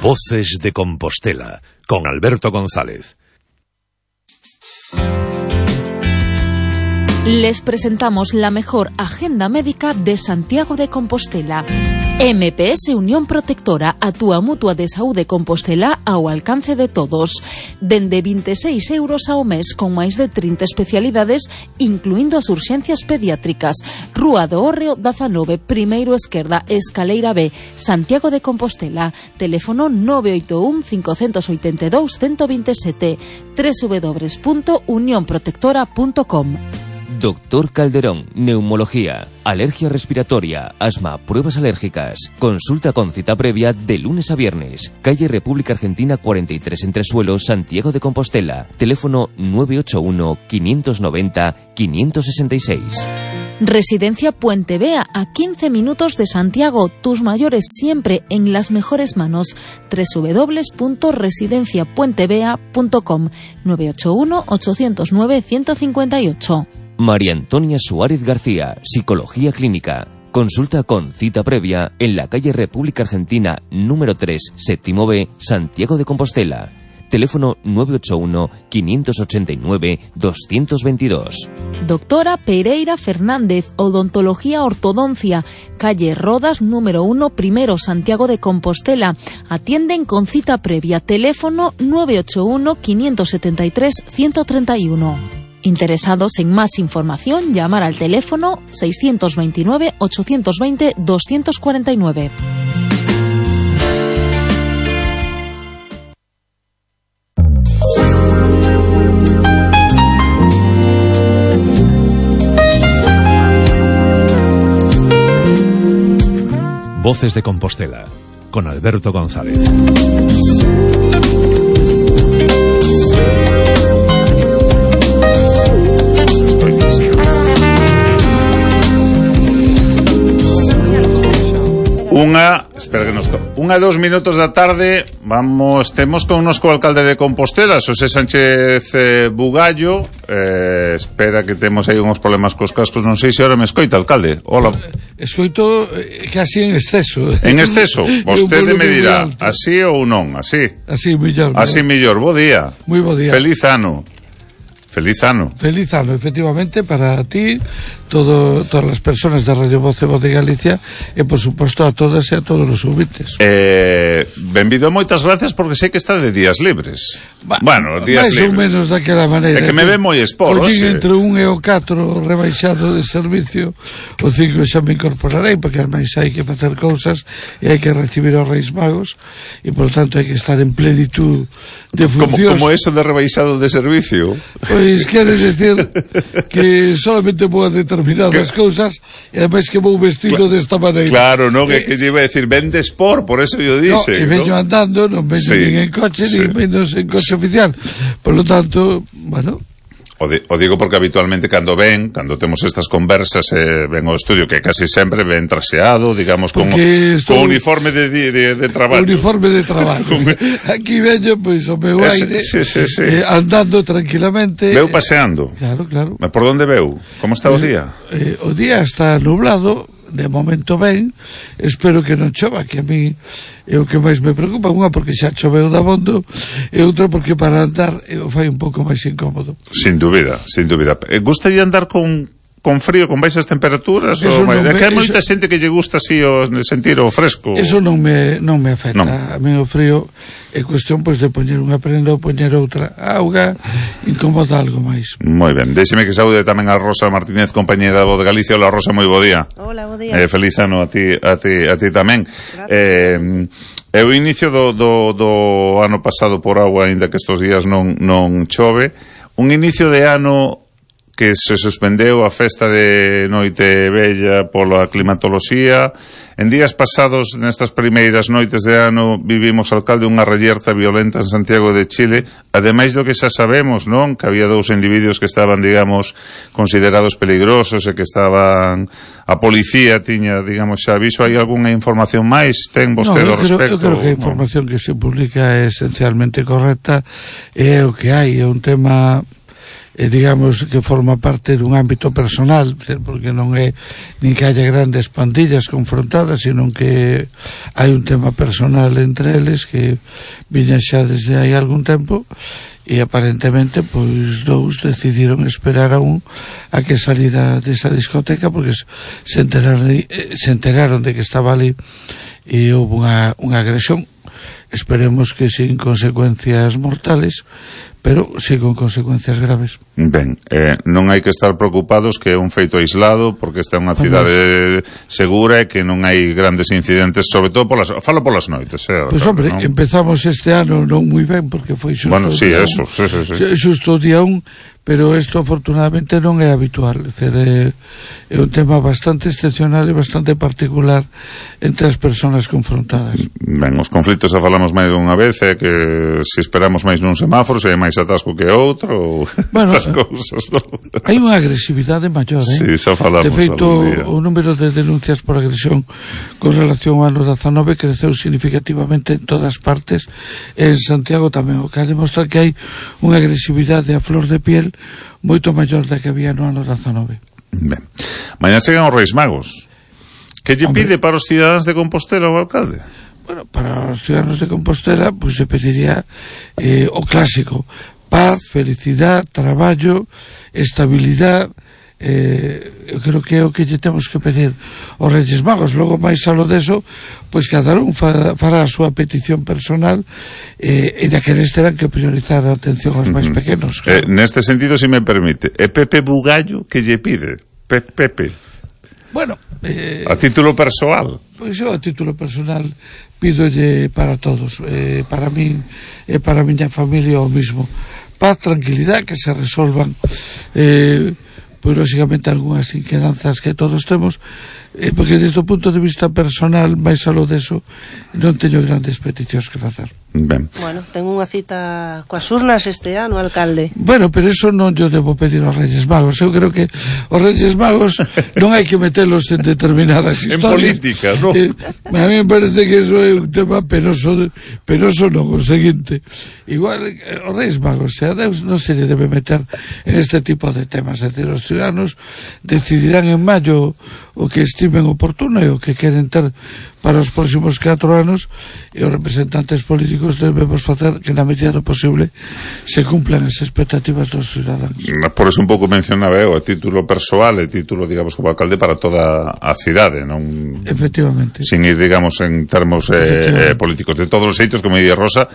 Voces de Compostela, con Alberto González. Les presentamos la mejor agenda médica de Santiago de Compostela. MPS Unión Protectora, a túa mutua de saúde Compostela ao alcance de todos. Dende 26 euros ao mes, con máis de 30 especialidades, incluindo as urxencias pediátricas. Rúa do Hórreo 19, primeiro esquerda, escaleira B, Santiago de Compostela. Teléfono 981 582 127, www.unionprotectora.com. Doctor Calderón, neumología, alergia respiratoria, asma, pruebas alérgicas. Consulta con cita previa de lunes a viernes. Calle República Argentina 43 Entresuelo, Santiago de Compostela. Teléfono 981 590 566. Residencia Puente Vea, a 15 minutos de Santiago. Tus mayores siempre en las mejores manos. www.residenciapuentevea.com. 981 809 158. María Antonia Suárez García, Psicología Clínica. Consulta con cita previa en la calle República Argentina número 3, séptimo B, Santiago de Compostela. Teléfono 981 589 222. Doctora Pereira Fernández, Odontología Ortodoncia, calle Rodas número 1, primero, Santiago de Compostela. Atienden con cita previa. Teléfono 981 573 131. Interesados en más información, llamar al teléfono 629 820 249. Voces de Compostela, con Alberto González. Unha 2 minutos da tarde. Temos con nos co alcalde de Compostela, Xosé Sánchez Bugallo. Espera que temos aí uns problemas cos cascos. Non sei se ahora me escoita, alcalde. Hola. Escoito casi en exceso. En exceso? Vostede me dirá, así ou non, así? Así mellor. Así mellor. Bo día. Moi bo día. Feliz ano. Feliz ano. Feliz ano, efectivamente, para ti, todas as persoas da Radio Voz de Galicia e, por suposto, a todas e a todos os ouvintes. Benvido, moitas gracias, porque sei que está de días libres. Bueno, días libres. Mais ou menos daquela maneira. É que me ve moi esporo. O din entre 1 e o 4 rebaixado de servicio, o 5 xa me incorporarei, porque ademais hai que facer cousas e hai que recibir os Reis Magos e, por tanto, hai que estar en plenitud de funcións. Como eso de rebaixado de servicio? Pois quere decir que solamente vou a determinadas cousas e ademais que vou vestido desta maneira. Claro, non, é que lle iba a decir vende sport, por eso yo dice. E veño andando, non veño nin en coche, nin menos en coche oficial. Por lo tanto, bueno... O digo porque habitualmente cando temos estas conversas ven ao estudio, que casi sempre ven traseado, digamos, con uniforme de traballo. Uniforme de traballo. Aquí veño, pois, o meu aire, andando tranquilamente. Veu paseando. Claro, claro. Por onde veu? Como está o día? O día está nublado, de momento ben, espero que non chova, que a mí é o que máis me preocupa. Unha porque xa choveu dabondo e outra porque para andar fai un pouco máis incómodo. Sin dúbida, sin dúbida. Gustaría andar con frío, con baixas temperaturas? Que hai moita xente que lle gusta así sentir o fresco. Eso non me afecta. Non. A mí o frío é cuestión pois de poñer unha prenda ou poñer outra. A auga incomoda algo máis. Moi ben, déxeme que saúde tamén a Rosa Martínez, compañera da Voz de Galicia. Hola, Rosa, moi bo día. Hola, bo día. Feliz ano a ti tamén. É o inicio do ano pasado por agua, aínda que estes días non chove. Un inicio de ano que se suspendeu a festa de Noite Vella pola climatoloxía. En días pasados, nestas primeiras noites de ano, vivimos, alcalde, unha reyerta violenta en Santiago de Chile, ademais do que xa sabemos, non? Que había 2 individuos que estaban, digamos, considerados peligrosos e que estaban... A policía tiña, digamos, xa aviso. Hai algunha información máis? Ten vostede ao respecto? Eu creo que a información que se publica é esencialmente correcta. É o que hai, é un tema... digamos que forma parte dun ámbito personal, porque non é nin que haya grandes pandillas confrontadas, sino que hai un tema personal entre eles que viña xa desde hai algún tempo, e aparentemente pois dous decidiron esperar aún a que salira desa discoteca, porque se enteraron de que estaba ali e houve unha agresión. Esperemos que sin consecuencias mortales, pero sí con consecuencias graves. Ben, non hai que estar preocupados que é un feito aislado, porque esta é unha cidade segura e que non hai grandes incidentes, sobre todo falo polas noites. Pois hombre, ¿no? Empezamos este ano non moi ben, porque foi xusto xusto o día 1, pero isto afortunadamente non é habitual, é un tema bastante excepcional e bastante particular entre as persoas confrontadas. Ben, os conflitos xa falamos máis dunha vez, é que se esperamos máis nun semáforo, se hai máis atasco que outro, bueno, estas cousas, non? Hai unha agresividade maior, Sí, xa falamos. De feito, o número de denuncias por agresión con relación ao ano 19 creceu significativamente en todas partes, en Santiago tamén, o que demostra que hai unha agresividade a flor de piel moito maior da que había no ano 19. Ben. Mañá chegan os Reis Magos. Que lle pide para os cidadáns de Compostela o alcalde? Bueno, para os cidadáns de Compostela pues, se pediría o clásico: paz, felicidad, traballo, estabilidad. Eu creo que é o que lle temos que pedir aos Reis Magos. Logo máis alo deso, pois cada un fará a súa petición personal, e daqueles terán que priorizar a atención aos máis pequenos, claro. Neste sentido, se me permite, é Pepe Bugallo que lle pide? Pepe. Bueno, a título persoal. Pois eu a título personal pídolle para todos, para min e para a miña familia o mismo: paz, tranquilidad, que se resolvan pois lógicamente algunhas inquedanzas que todos temos, porque desde o punto de vista personal, máis alo deso, non teño grandes peticións que facer. Ben. Bueno, tengo unha cita coas urnas este ano, alcalde. Bueno, pero eso non yo debo pedir aos Reis Magos. Eu creo que os Reis Magos non hai que metelos en determinadas historias. En política, non? A mí me parece que eso é un tema penoso non, o seguinte. Igual, os Reis Magos, a Deus non se lle debe meter en este tipo de temas. É dicir, os ciudadanos decidirán en maio o que estimen oportuno e o que queren ter para os próximos 4 anos, e os representantes políticos debemos facer que na medida do posible se cumplan as expectativas dos ciudadanos. Por eso un pouco mencionaba eu a título persoal e título, digamos, como alcalde para toda a cidade, non? Efectivamente. Sin ir, digamos, en termos políticos. De todos os xeitos, como día Rosa,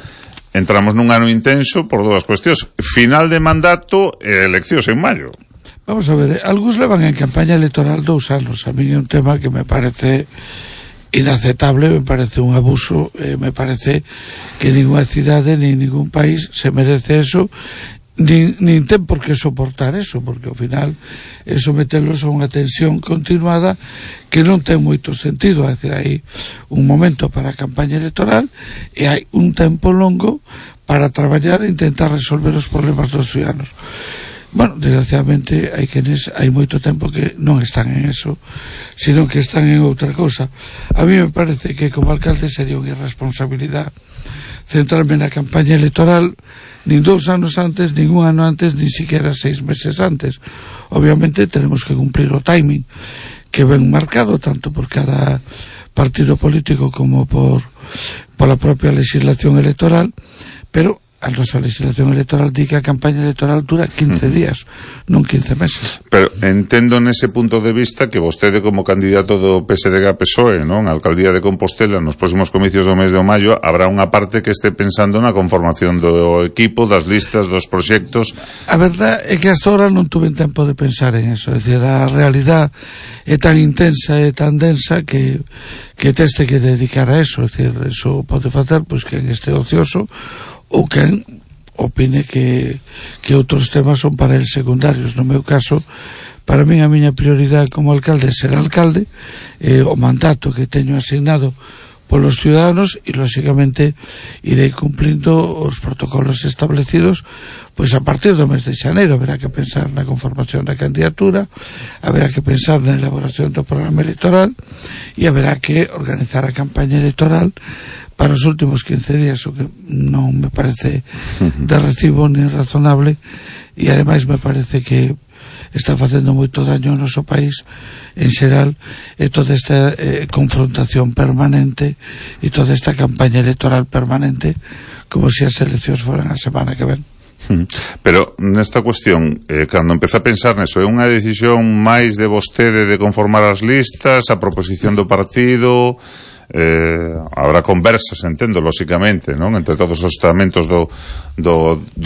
entramos nun ano intenso por dúas cuestións: final de mandato e eleccións en maio. Vamos a ver, algúns levan en campaña electoral 2 anos. A mí é un tema que me parece inaceptable, me parece un abuso, me parece que ninguna cidade ni ningún país se merece eso, nin ten por que soportar eso, porque ao final é someterlos a unha tensión continuada que non ten moito sentido. É dicir, hai un momento para a campaña electoral e hai un tempo longo para traballar e intentar resolver os problemas dos ciudadanos. Bueno, desgraciadamente hai moito tempo que non están en eso, sino que están en outra cousa. A mí me parece que como alcalde sería unha irresponsabilidade centrarme na campaña electoral nin 2 anos antes, nin 1 ano antes, nin siquiera 6 meses antes. Obviamente tenemos que cumplir o timing que ven marcado tanto por cada partido político como por la propia legislación electoral, pero a nosa legislación electoral di que a campaña electoral dura 15 días, non 15 meses. Pero entendo nese punto de vista que vostede como candidato do PSDG-PSOE, non, a alcaldía de Compostela nos próximos comicios do mes de maio, habrá unha parte que este pensando na conformación do equipo, das listas, dos proxectos. A verdade é que hasta ahora non tuve tempo de pensar en eso. É dicir, a realidade é tan intensa e tan densa que teste que dedicar a eso. É dicir, eso pode facer pois que en este ocioso ou quen opine que outros temas son para el secundarios. No meu caso, para min a miña prioridade como alcalde é ser alcalde, o mandato que teño asignado polos ciudadanos e, lóxicamente, irei cumplindo os protocolos establecidos pois a partir do mes de xaneiro. Haberá que pensar na conformación da candidatura, haberá que pensar na elaboración do programa electoral e haberá que organizar a campaña electoral para os últimos 15 días, o que non me parece de recibo ni razonable, e ademais me parece que está facendo moito daño ao noso país en xeral, e toda esta confrontación permanente e toda esta campaña electoral permanente, como se as eleccións foran a semana que ven. Pero nesta cuestión, cando empeza a pensar neso, é unha decisión máis de vostede de conformar as listas, a proposición do partido? Habrá conversas, entendo, lóxicamente, non? Entre todos os estamentos do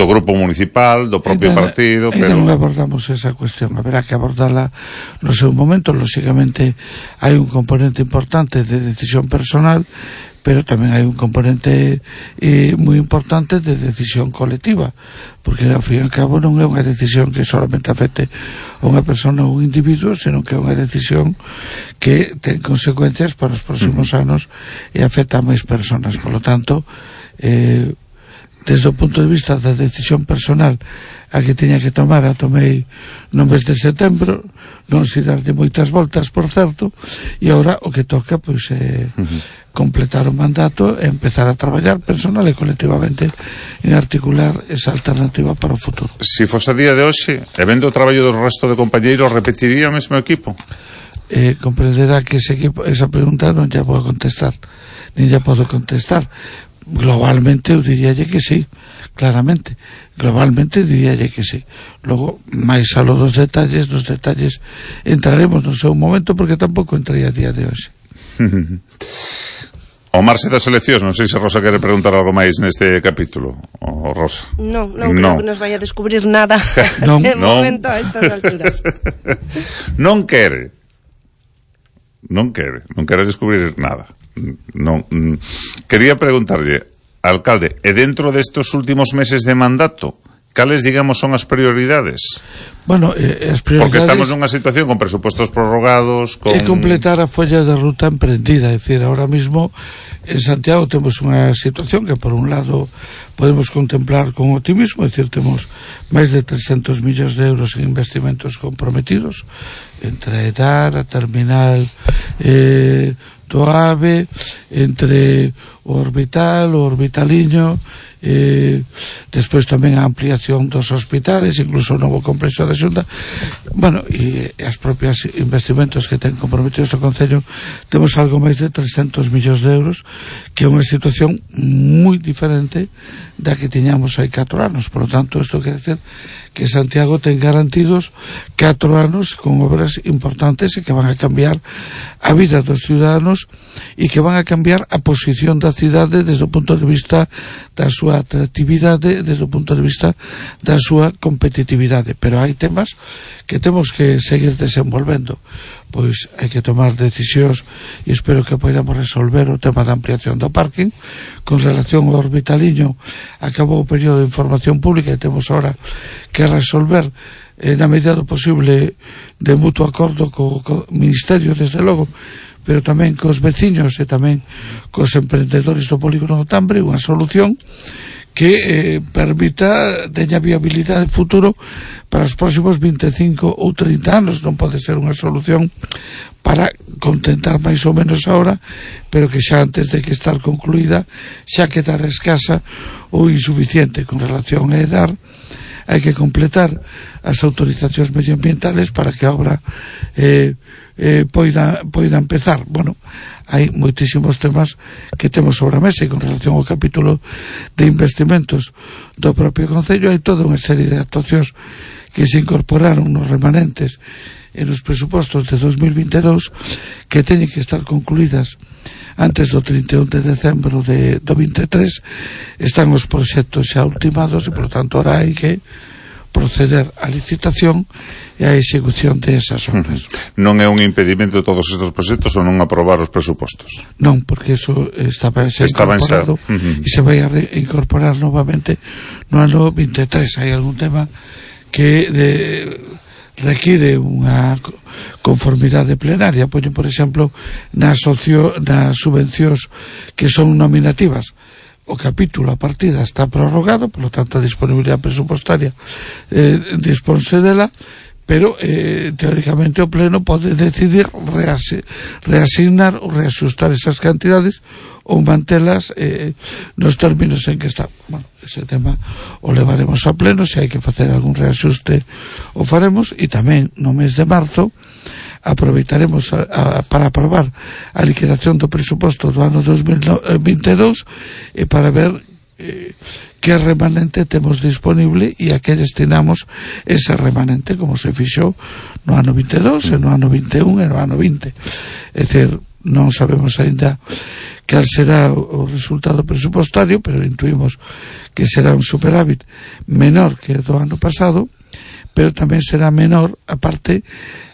grupo municipal, do propio partido, pero non abordamos esa cuestión, haberá que abordarla no seu momento. Lóxicamente hai un componente importante de decisión personal, pero tamén hai un componente moi importante de decisión colectiva, porque ao fin e ao cabo non é unha decisión que solamente afecte a unha persona ou un individuo, senón que é unha decisión que ten consecuencias para os próximos anos e afecta a máis personas. Por lo tanto, desde o punto de vista da decisión personal a que tiña que tomar, a tomei no mes de setembro, non se darlle moitas voltas, por certo, e agora o que toca pois completar o mandato e empezar a traballar personal e colectivamente en articular esa alternativa para o futuro. Se fose a día de hoxe, e vendo o traballo do resto de compañeiros, repetiría o mesmo equipo? Comprenderá que esa pregunta non ya podo contestar, nin ya podo contestar. Globalmente eu diríalle que sí, claramente, globalmente diríalle que sí. Logo, máis alo dos detalles entraremos no seu momento, porque tampouco entrei a día de hoxe. O marxe das eleccións, non sei se Rosa quere preguntar algo máis neste capítulo. O Rosa. Non creo que nos vaya a descubrir nada de momento a estas alturas. Non quere descubrir nada. Non. Quería preguntarlle, alcalde, e dentro destes últimos meses de mandato, cales, digamos, son as prioridades? Bueno, as prioridades... Porque estamos nunha situación con presupostos prorrogados, con... É completar a folla de ruta emprendida, é dicir, ahora mismo en Santiago temos unha situación que, por un lado, podemos contemplar con optimismo, é dicir, temos máis de 300 millóns de euros en investimentos comprometidos, entre a EDAR, a terminal do AVE, entre o Orbital, o Orbitaliño, despois tamén a ampliación dos hospitales, incluso o novo complexo da Xunta, bueno, e as propias investimentos que ten comprometidos o Concello. Temos algo máis de 300 millóns de euros, que é unha situación moi diferente da que tiñamos hai 4 anos. Por lo tanto, isto quere dizer que Santiago ten garantidos 4 anos con obras importantes e que van a cambiar a vida dos ciudadanos e que van a cambiar a posición da cidade desde o punto de vista da súa atractividade, desde o punto de vista da súa competitividade. Pero hai temas que temos que seguir desenvolvendo. Pois hai que tomar decisións e espero que podamos resolver o tema da ampliación do parking. Con relación ao Orbitaliño, acabou o período de información pública e temos ahora que resolver na medida do posible de mutuo acordo co Ministerio, desde logo, pero tamén cos veciños e tamén cos emprendedores do polígono do Tambre, unha solución que permita teña viabilidade futuro para os próximos 25 ou 30 anos. Non pode ser unha solución para contentar máis ou menos ahora, pero que xa antes de que estar concluída xa quedara escasa ou insuficiente. Con relación a EDAR, hai que completar as autorizacións medioambientales para que a obra poida empezar. Bueno, hai moitísimos temas que temos sobre a mesa, e con relación ao capítulo de investimentos do propio Concello hai toda unha serie de actuacións que se incorporaron nos remanentes en os presupostos de 2022 que teñen que estar concluídas antes do 31 de decembro do 23. Están os proxectos xa ultimados e, por tanto, ahora hai que proceder á licitación e á execución de esas obras. Non é un impedimento todos estes proxectos ou non aprobar os presupostos? Non, porque eso estaba incorporado e se vai a incorporar novamente no ano 23. Hai algún tema que require unha conformidade plenaria. Poño, por exemplo, nas subvencións que son nominativas, o capítulo, a partida está prorrogado, por lo tanto a disponibilidade presupostaria disponse dela, pero teóricamente o Pleno pode decidir reasignar ou reaxustar esas cantidades ou mantelas nos términos en que están. Bueno, ese tema o levaremos a Pleno, se hai que facer algún reaxuste o faremos, e tamén no mes de marzo aproveitaremos para aprobar a liquidación do presuposto do ano 2022 e para ver que remanente temos disponible e a que destinamos ese remanente, como se fixou no ano 22 e no ano 21 e no ano 20. É dicir, non sabemos aínda cal será o resultado presupostario, pero intuimos que será un superávit menor que o do ano pasado, pero tamén será menor a parte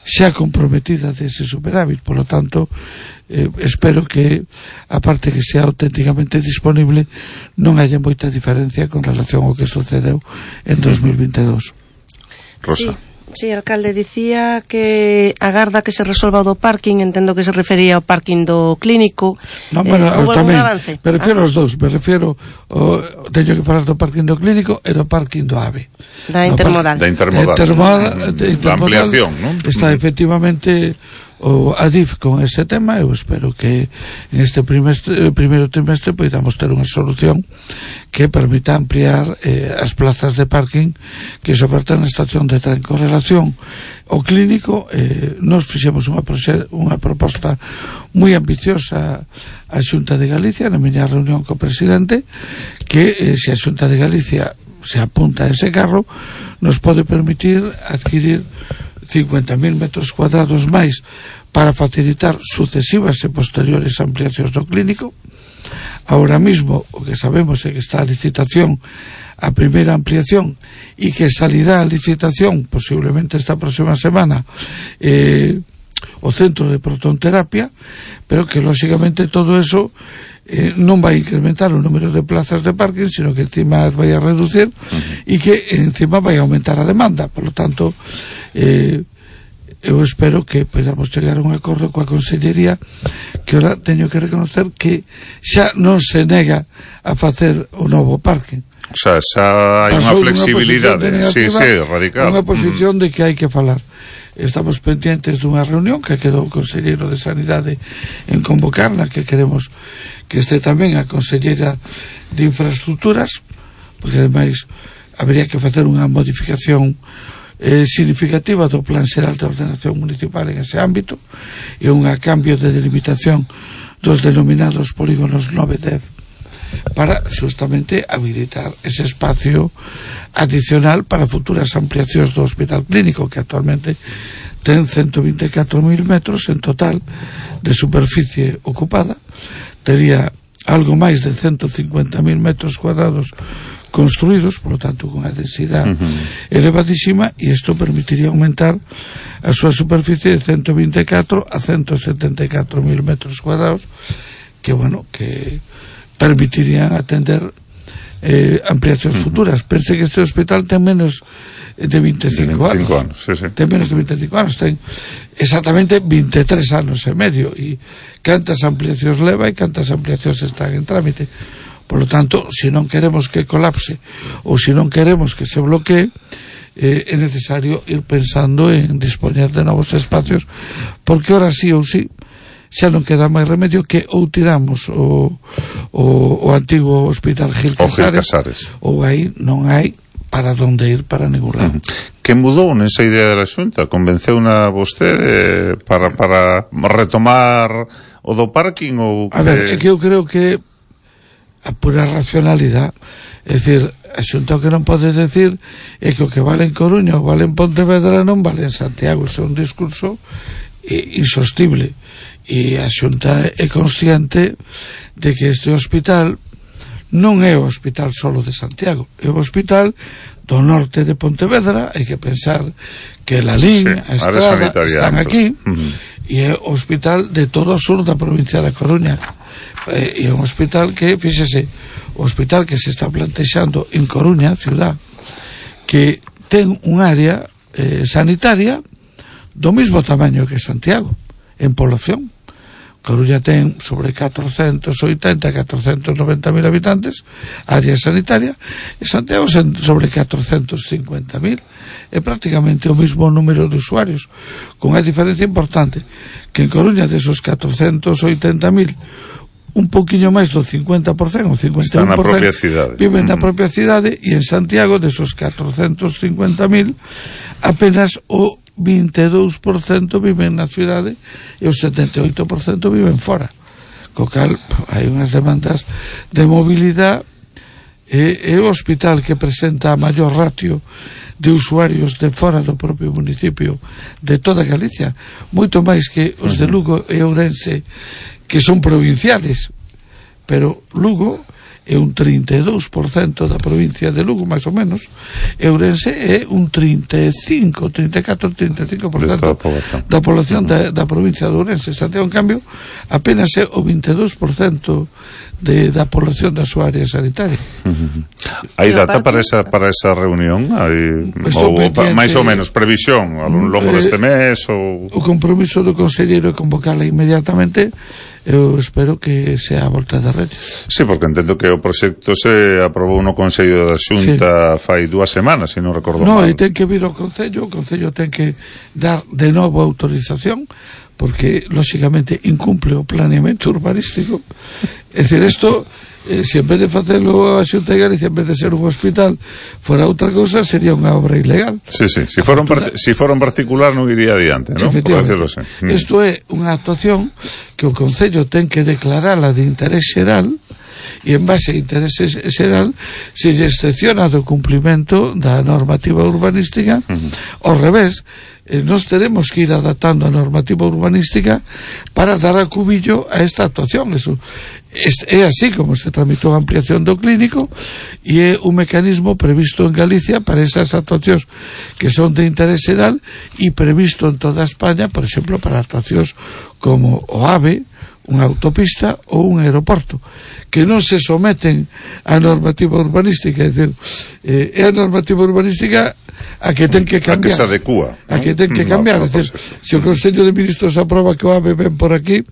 xa comprometida dese superávit. Por lo tanto, espero que a parte que sea auténticamente disponible non haya moita diferencia con relación ao que sucedeu en 2022. Rosa. Sí, alcalde, dicía que agarda que se resolva o do parking, entendo que se refería ao parking do clínico. Non, pero tamén, me refiero aos dous, teño que falar do parking do clínico e do parking do AVE. Da intermodal. Da ampliación, non? Está efectivamente o ADIF con ese tema. Eu espero que en este primeiro trimestre podamos ter unha solución que permita ampliar as plazas de parking que se ofertan na estación de tren. Con relación ao clínico, nos fixemos unha proposta moi ambiciosa á Xunta de Galicia na miña reunión co presidente, que se a Xunta de Galicia se apunta a ese carro, nos pode permitir adquirir 50.000 metros cuadrados máis para facilitar sucesivas e posteriores ampliacións do clínico. Ahora mismo o que sabemos é que está a licitación a primeira ampliación e que salirá a licitación posiblemente esta próxima semana o centro de protonterapia, pero que lógicamente todo eso non vai incrementar o número de plazas de parking, sino que encima vai a reducir e que encima vai a aumentar a demanda. Por lo tanto, eu espero que podamos chegar a un acordo coa Consellería, que ora teño que reconocer que xa non se nega a facer o novo parking. O sea, xa hai unha flexibilidade, radical. Unha posición de que hai que falar. Estamos pendientes dunha reunión que quedou o Conselleiro de Sanidade en convocar, na que queremos que este tamén a Conselleira de Infraestructuras, porque ademais habría que facer unha modificación significativa do Plan Xeral de Ordenación Municipal en ese ámbito e un cambio de delimitación dos denominados polígonos 9 e 10 para justamente habilitar ese espacio adicional para futuras ampliacións do Hospital Clínico, que actualmente ten 124.000 metros en total de superficie ocupada. Tería algo máis de 150.000 metros cuadrados construídos, por lo tanto con a densidade elevadísima, e isto permitiría aumentar a súa superficie de 124 a 174.000 metros cuadrados, que bueno, que permitirían atender ampliacións futuras. Pense que este hospital ten menos de 25 anos. Ten menos de 25 anos, ten exactamente 23 anos e medio, e cantas ampliacións leva e cantas ampliacións están en trámite. Por lo tanto, se non queremos que colapse ou se non queremos que se bloquee, é necesario ir pensando en dispoñer de novos espacios, porque ahora sí ou sí xa non queda máis remedio que ou tiramos o antigo Hospital Gil Casares ou aí non hai para onde ir para ningún lado. Que mudou nesa idea da Xunta? Convenceu na vostede para retomar o do parking? Ou que... A ver, é que eu creo que a pura racionalidade, é dicir, a Xunta o que non pode decir é que o que vale en Coruña ou vale en Pontevedra non vale en Santiago. Isso é un discurso insostible, e a Xunta é consciente de que este hospital non é o hospital solo de Santiago, é o hospital do norte de Pontevedra. Hai que pensar que la línea, a estrada están aquí, e é o hospital de todo o sur da provincia da Coruña. E é un hospital que, fíxese, o hospital que se está plantexando en Coruña, ciudad, que ten un área sanitaria do mismo tamaño que Santiago en población. Coruña ten sobre 480-490 mil habitantes, área sanitaria, e Santiago sobre 450 mil. É prácticamente o mismo número de usuarios, con a diferencia importante que en Coruña desos 480 mil, un poquinho máis do 50%, o 51% está na propia cidade, viven na propia cidade, e en Santiago desos 450 mil apenas o 22% viven na cidade e o 78% viven fora, co cal hai unhas demandas de mobilidade. É o hospital que presenta a maior ratio de usuarios de fora do propio municipio de toda Galicia, moito máis que os de Lugo e Ourense, que son provinciales, pero Lugo é un 32% da provincia de Lugo, máis ou menos, e Ourense é un 35% da población da provincia de Ourense. Santiago, en cambio, apenas é o 22% da población da súa área sanitaria. Hai data para esa reunión? Máis ou menos, previsión ao longo deste mes? O compromiso do conselleiro é convocarla inmediatamente. Eu espero que sea a volta de Reyes. Sí, porque entendo que o proxecto se aprobou no Consello da Xunta fai 2 semanas, se non recordo mal. E ten que vir ao Concello, o Concello ten que dar de novo autorización, porque lógicamente incumple o planeamento urbanístico. É dicir, isto, se en vez de facelo a Xunta de Galicia, en vez de ser un hospital, fora outra cousa, sería unha obra ilegal. Sí, se fora un particular non iría adiante, non? Efectivamente. Isto é unha actuación que o Concello ten que declarala de interés xeral, e en base a interés xeral se lle excepciona do cumplimento da normativa urbanística. Ao revés, nós teremos que ir adaptando a normativa urbanística para dar a cubillo a esta actuación. Eso é así como se tramitou a ampliación do clínico, e é un mecanismo previsto en Galicia para esas actuacións que son de interés xeral, e previsto en toda España, por exemplo, para actuacións como o AVE, unha autopista ou un aeroporto, que non se someten á normativa urbanística. É dicir, é a normativa urbanística a que ten que cambiar, a que se adecúa, a que ten que cambiar. É dicir, se o Consello de Ministros aproba que o AVE ven por aquí,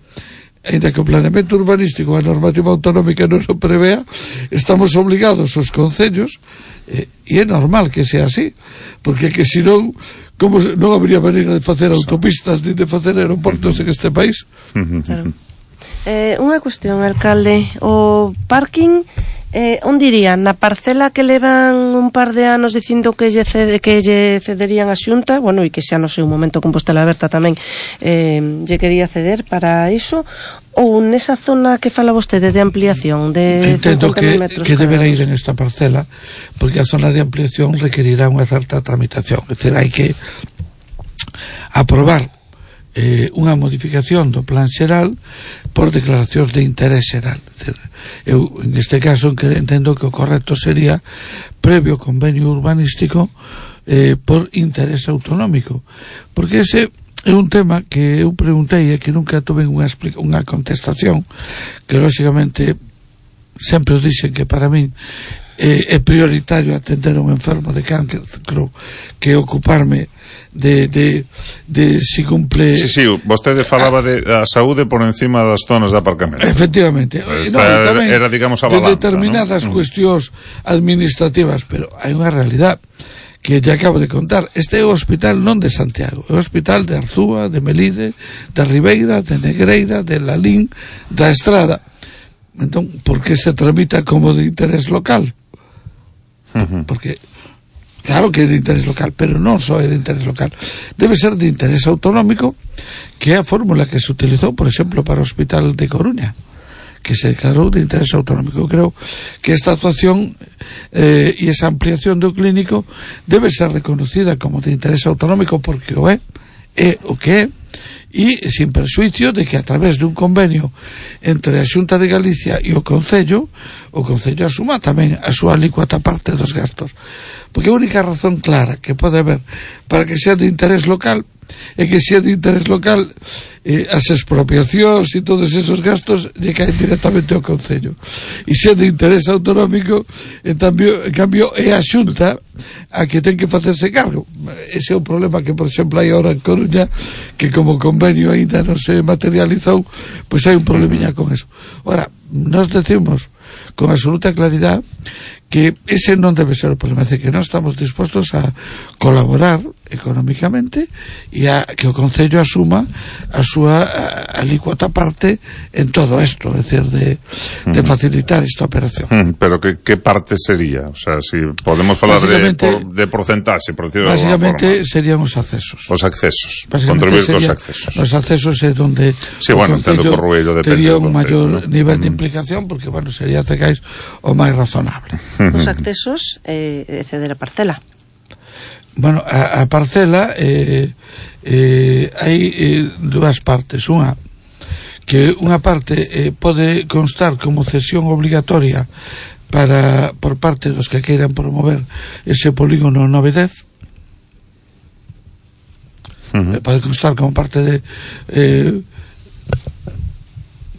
ainda que o planeamento urbanístico, a normativa autonómica non o prevea, estamos obligados os concellos, e é normal que sea así, porque que senón como non habría maneira de facer autopistas ni de facer aeroportos en este país. Claro. Unha cuestión, alcalde, o parking, onde iría? Na parcela que levan un par de anos dicindo que lle cederían a Xunta, bueno, e que xa no sei, un momento Compostela Aberta tamén lle quería ceder para iso, ou nesa zona que fala vostede de ampliación de 50.000 metros que deberá ir en esta parcela, porque a zona de ampliación requerirá unha certa tramitación. É dicir, hai que aprobar unha modificación do plan xeral por declaracións de interés xeral. Eu, en este caso, entendo que o correcto sería previo convenio urbanístico por interés autonómico, porque ese é un tema que eu preguntei e que nunca tuve unha contestación, que lógicamente sempre os dixen que para min é prioritario atender a un enfermo de cancro que ocuparme de si cumple. Sí, vostede falaba de a saúde por encima das zonas de aparcamento. Efectivamente. Era, digamos, a balanza, de determinadas cuestións administrativas, pero hai unha realidade que ya acabo de contar. Este é o hospital non de Santiago, é o hospital de Arzúa, de Melide, de Ribeira, de Negreira, de Lalín, da Estrada. Entón, por que se tramita como de interés local? Porque claro que é de interés local, pero non só é de interés local, debe ser de interés autonómico, que é a fórmula que se utilizou, por exemplo, para o Hospital de Coruña, que se declarou de interés autonómico. Eu creo que esta actuación e esa ampliación do clínico debe ser reconocida como de interés autonómico, porque o é o que é, e sin persuicio de que a través dun convenio entre a Xunta de Galicia e o Concello asuma tamén a súa alícuota parte dos gastos, porque a única razón clara que pode haber para que sea de interés local é que se é de interés local, as expropiacións e todos esos gastos lle caen directamente ao Concello, e se é de interés autonómico, en cambio é a Xunta a que ten que facerse cargo. Ese é o problema que, por exemplo, hai ahora en Coruña, que como o convenio ainda non se materializou, pois hai un problemiña con eso. Ora, nos decimos con absoluta claridade que ese non debe ser o problema, é que non estamos dispostos a colaborar económicamente e a que o Concello asuma a súa alícuota parte en todo isto, é dicir, de facilitar esta operación. Pero que parte sería? O sea, si podemos falar de porcentaxe, por decirlo de alguna forma. Básicamente serían os accesos. Os accesos, contribuir cos accesos. Os accesos é donde sí, bueno, o Concello tería un maior nivel de implicación, porque, bueno, sería cegais o máis razonable. Os accesos ceder a parcela. Bueno, a parcela hai dúas partes. Unha, que unha parte pode constar como cesión obligatoria por parte dos que queiran promover ese polígono 910. Pode constar como parte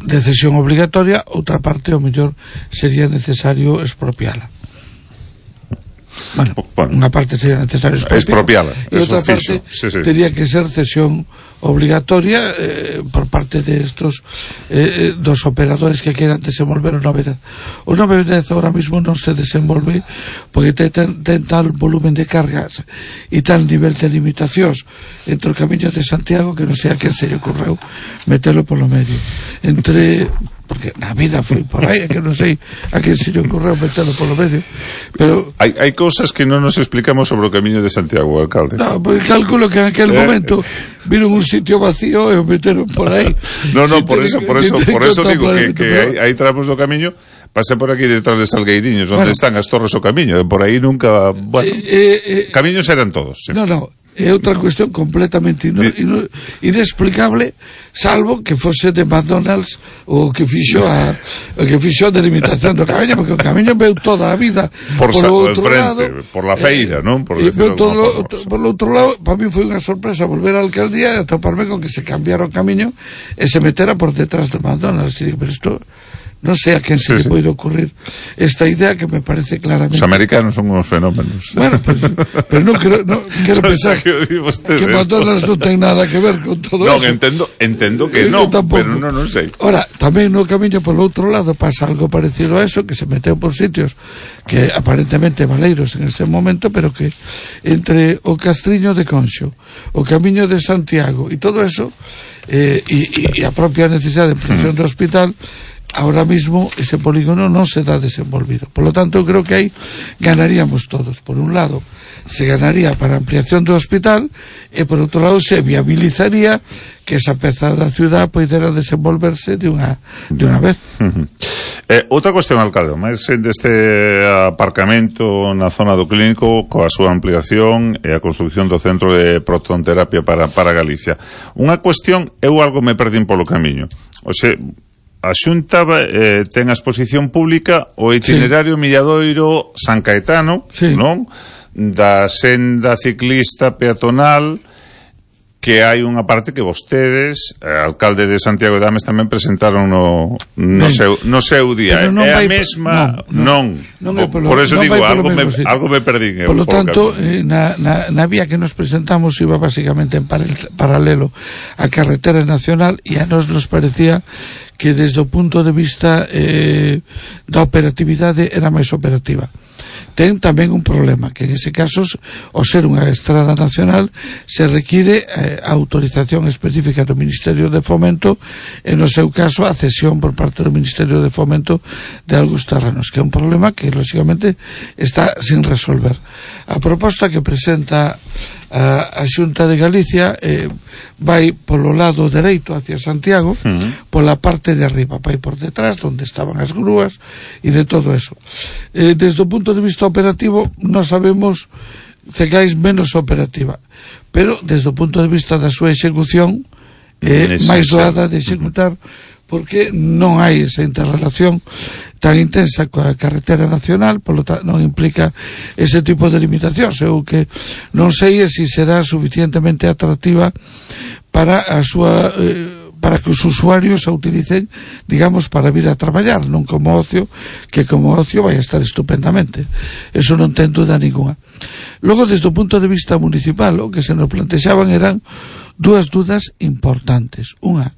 de cesión obligatoria. Outra parte, ao mellor, sería necesario expropiala. Bueno, unha parte sería necesario expropiala, e outra parte tería que ser cesión obligatoria por parte de estos dos operadores que queran desenvolver o 910. O 910 ahora mismo non se desenvolve porque ten tal volumen de cargas e tal nivel de limitacións entre o Camiño de Santiago que non sei a quen se lle ocurreu metelo polo medio, porque na vida foi por aí, que non sei a quen se lle ocurreu metelo polo medio, pero hai cousas que non nos explicamos sobre o Camiño de Santiago, alcalde. No, porque calculo que en aquel momento viron un sitio vacío e o meteron por aí. No, por eso digo que hai tramos do camiño, pasa por aquí detrás de Salgueiriños, onde están as torres o camiño, por aí nunca, bueno, camiños eran todos. Sí. No, é outra cuestión completamente inexplicable, salvo que fose de McDonald's o que fixo a delimitación do camiño, porque o camiño veu toda a vida por outro lado, por la feira, non? Por outro lado, para mí foi unha sorpresa volver á alcaldía e atoparme con que se cambiara o camiño e se metera por detrás do McDonald's. E digo, pero isto non sei a quen se lle pode ocurrir esta idea, que me parece claramente... Os americanos son unos fenómenos. Bueno, pero non quero pensar que McDonald's non ten nada que ver con todo eso. Non, entendo que non, pero non sei. Ora, tamén no camiño por outro lado pasa algo parecido a eso, que se meteu por sitios que aparentemente valeiros en ese momento, pero que entre o Castriño de Conxo, o Camiño de Santiago e todo eso, e a propia necesidade de ampliación do hospital, ahora mismo ese polígono non se dá desenvolvido. Por lo tanto, eu creo que aí ganaríamos todos. Por un lado, se ganaría para a ampliación do hospital, e por outro lado se viabilizaría que esa peza da ciudad poidera desenvolverse de unha vez. Outra cuestión, alcalde, máis deste aparcamento na zona do Clínico, coa súa ampliación e a construcción do centro de protonterapia para Galicia. Unha cuestión, eu algo me perdín polo camiño. O sea, a Xunta ten a exposición pública o itinerario Milladoiro San Caetano, non? Da senda ciclista peatonal, que hai unha parte que vostedes, alcalde de Santiago de Ames, tamén presentaron no seu día. É a mesma, non. Por eso digo, algo me perdín. Por lo tanto, na vía que nos presentamos iba basicamente en paralelo a carretera nacional, e a nos parecía que desde o punto de vista da operatividade era máis operativa. Ten tamén un problema, que en ese caso, ao ser unha estrada nacional, se require a autorización específica do Ministerio de Fomento, e no seu caso a cesión por parte do Ministerio de Fomento de algúns terrenos, que é un problema que lógicamente está sin resolver. A proposta que presenta a Xunta de Galicia vai polo lado dereito hacia Santiago, pola parte de arriba, vai por detrás onde estaban as grúas e de todo eso. Desde o punto de vista operativo non sabemos cegais menos operativa, pero desde o punto de vista da súa execución máis doada de executar, porque non hai esa interrelación tan intensa coa carretera nacional, polo tanto non implica ese tipo de limitacións. Eu que non sei se será suficientemente atractiva para a súa para que os usuarios a utilicen, digamos, para vir a traballar, non como ocio, que como ocio vai a estar estupendamente. Eso non ten duda ninguna. Logo, desde o punto de vista municipal, o que se nos plantexaban eran dúas dudas importantes. Unha,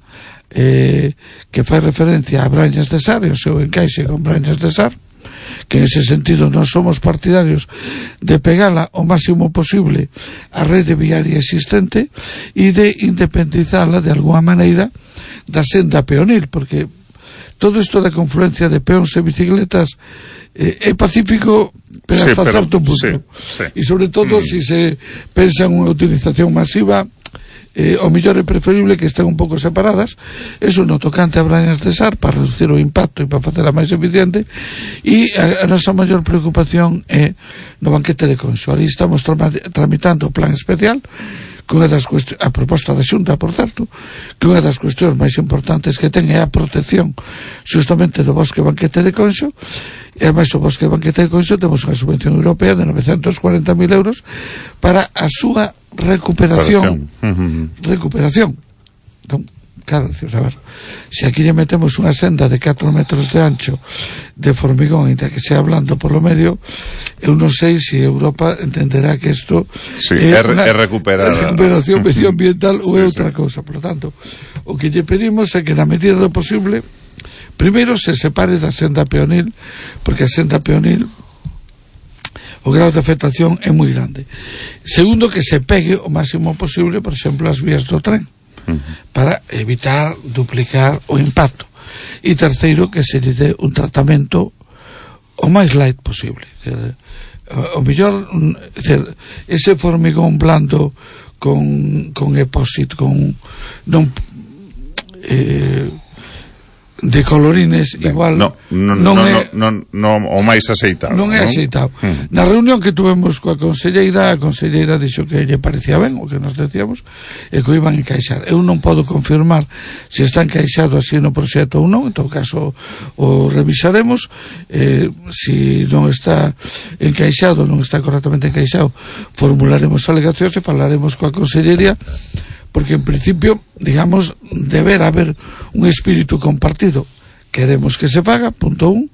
que fai referencia a Brañas de Sar e o seu encaixe con Brañas de Sar, que en ese sentido non somos partidarios de pegala o máximo posible a rede viaria existente e de independizala de alguma maneira da senda peonil, porque todo isto da confluencia de peóns e bicicletas é pacífico, pero sí, hasta certo punto, e sobre todo se pensa en unha utilización masiva, o mellor é preferible que estén un pouco separadas. Eso no tocante a Brañas de Sar, para reducir o impacto e para facela máis eficiente. E a nosa maior preocupación é no banquete de Conxo. Ali estamos tramitando o plan especial que unha das a proposta da Xunta, por certo, que unha das cuestións máis importantes que ten é a protección justamente do bosque banquete de Conxo. E ademais o bosque banquete de Conxo temos unha subvención europea de 940.000 euros para a súa recuperación. Entón, claro, a ver, se aquí lle metemos unha senda de 4 metros de ancho de formigón, e que sea blando por lo medio, eu non sei se Europa entenderá que isto é recuperación medioambiental ou é outra cousa. Por lo tanto, o que lle pedimos é que na medida do posible primeiro se separe da senda peonil, porque a senda peonil o grado de afectación é moi grande. Segundo, que se pegue o máximo posible, por exemplo, as vías do tren, para evitar duplicar o impacto. E terceiro, que se lle dé un tratamento o máis light posible. O mellor, ese formigón blando con epósito, con non de colorines, igual non o máis aceitado. Non é aceitado. Na reunión que tuvemos coa conselleira, a conselleira dixo que lle parecía ben o que nos decíamos e que o iban a encaixar. Eu non podo confirmar se está encaixado así no proxecto ou non, en todo caso o revisaremos. Se non está encaixado, non está correctamente encaixado, formularemos alegacións e falaremos coa consellería, porque en principio, digamos, deberá haber un espírito compartido. Queremos que se paga, punto 1.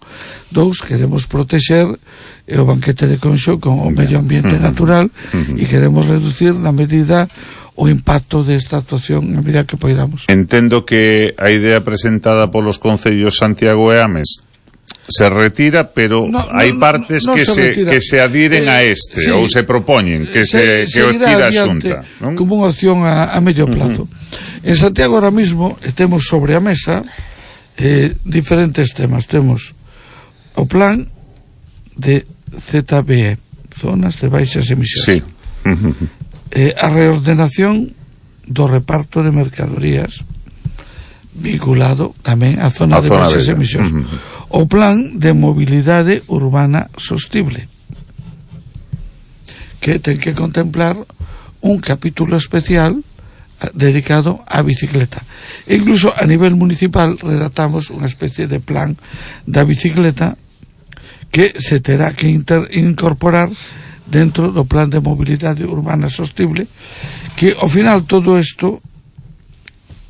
2, queremos protexer o banquete de Conxo con o medio ambiente natural e queremos reducir na medida o impacto desta actuación na medida que poidamos. Entendo que a idea presentada polos concellos Santiago e Ames se retira, pero hai partes que se adhiren a este, sí, ou se propoñen que o estira a Xunta, non? Como unha opción a medio plazo. En Santiago ahora mismo temos sobre a mesa diferentes temas. Temos o plan de ZBE, zonas de baixas emisións, sí. A reordenación do reparto de mercadorías vinculado tamén a zona de baixas emisións. O plan de mobilidade urbana sostible, que ten que contemplar un capítulo especial dedicado á bicicleta. E incluso a nivel municipal redactamos unha especie de plan da bicicleta que se terá que incorporar dentro do plan de mobilidade urbana sostible, que ao final todo isto,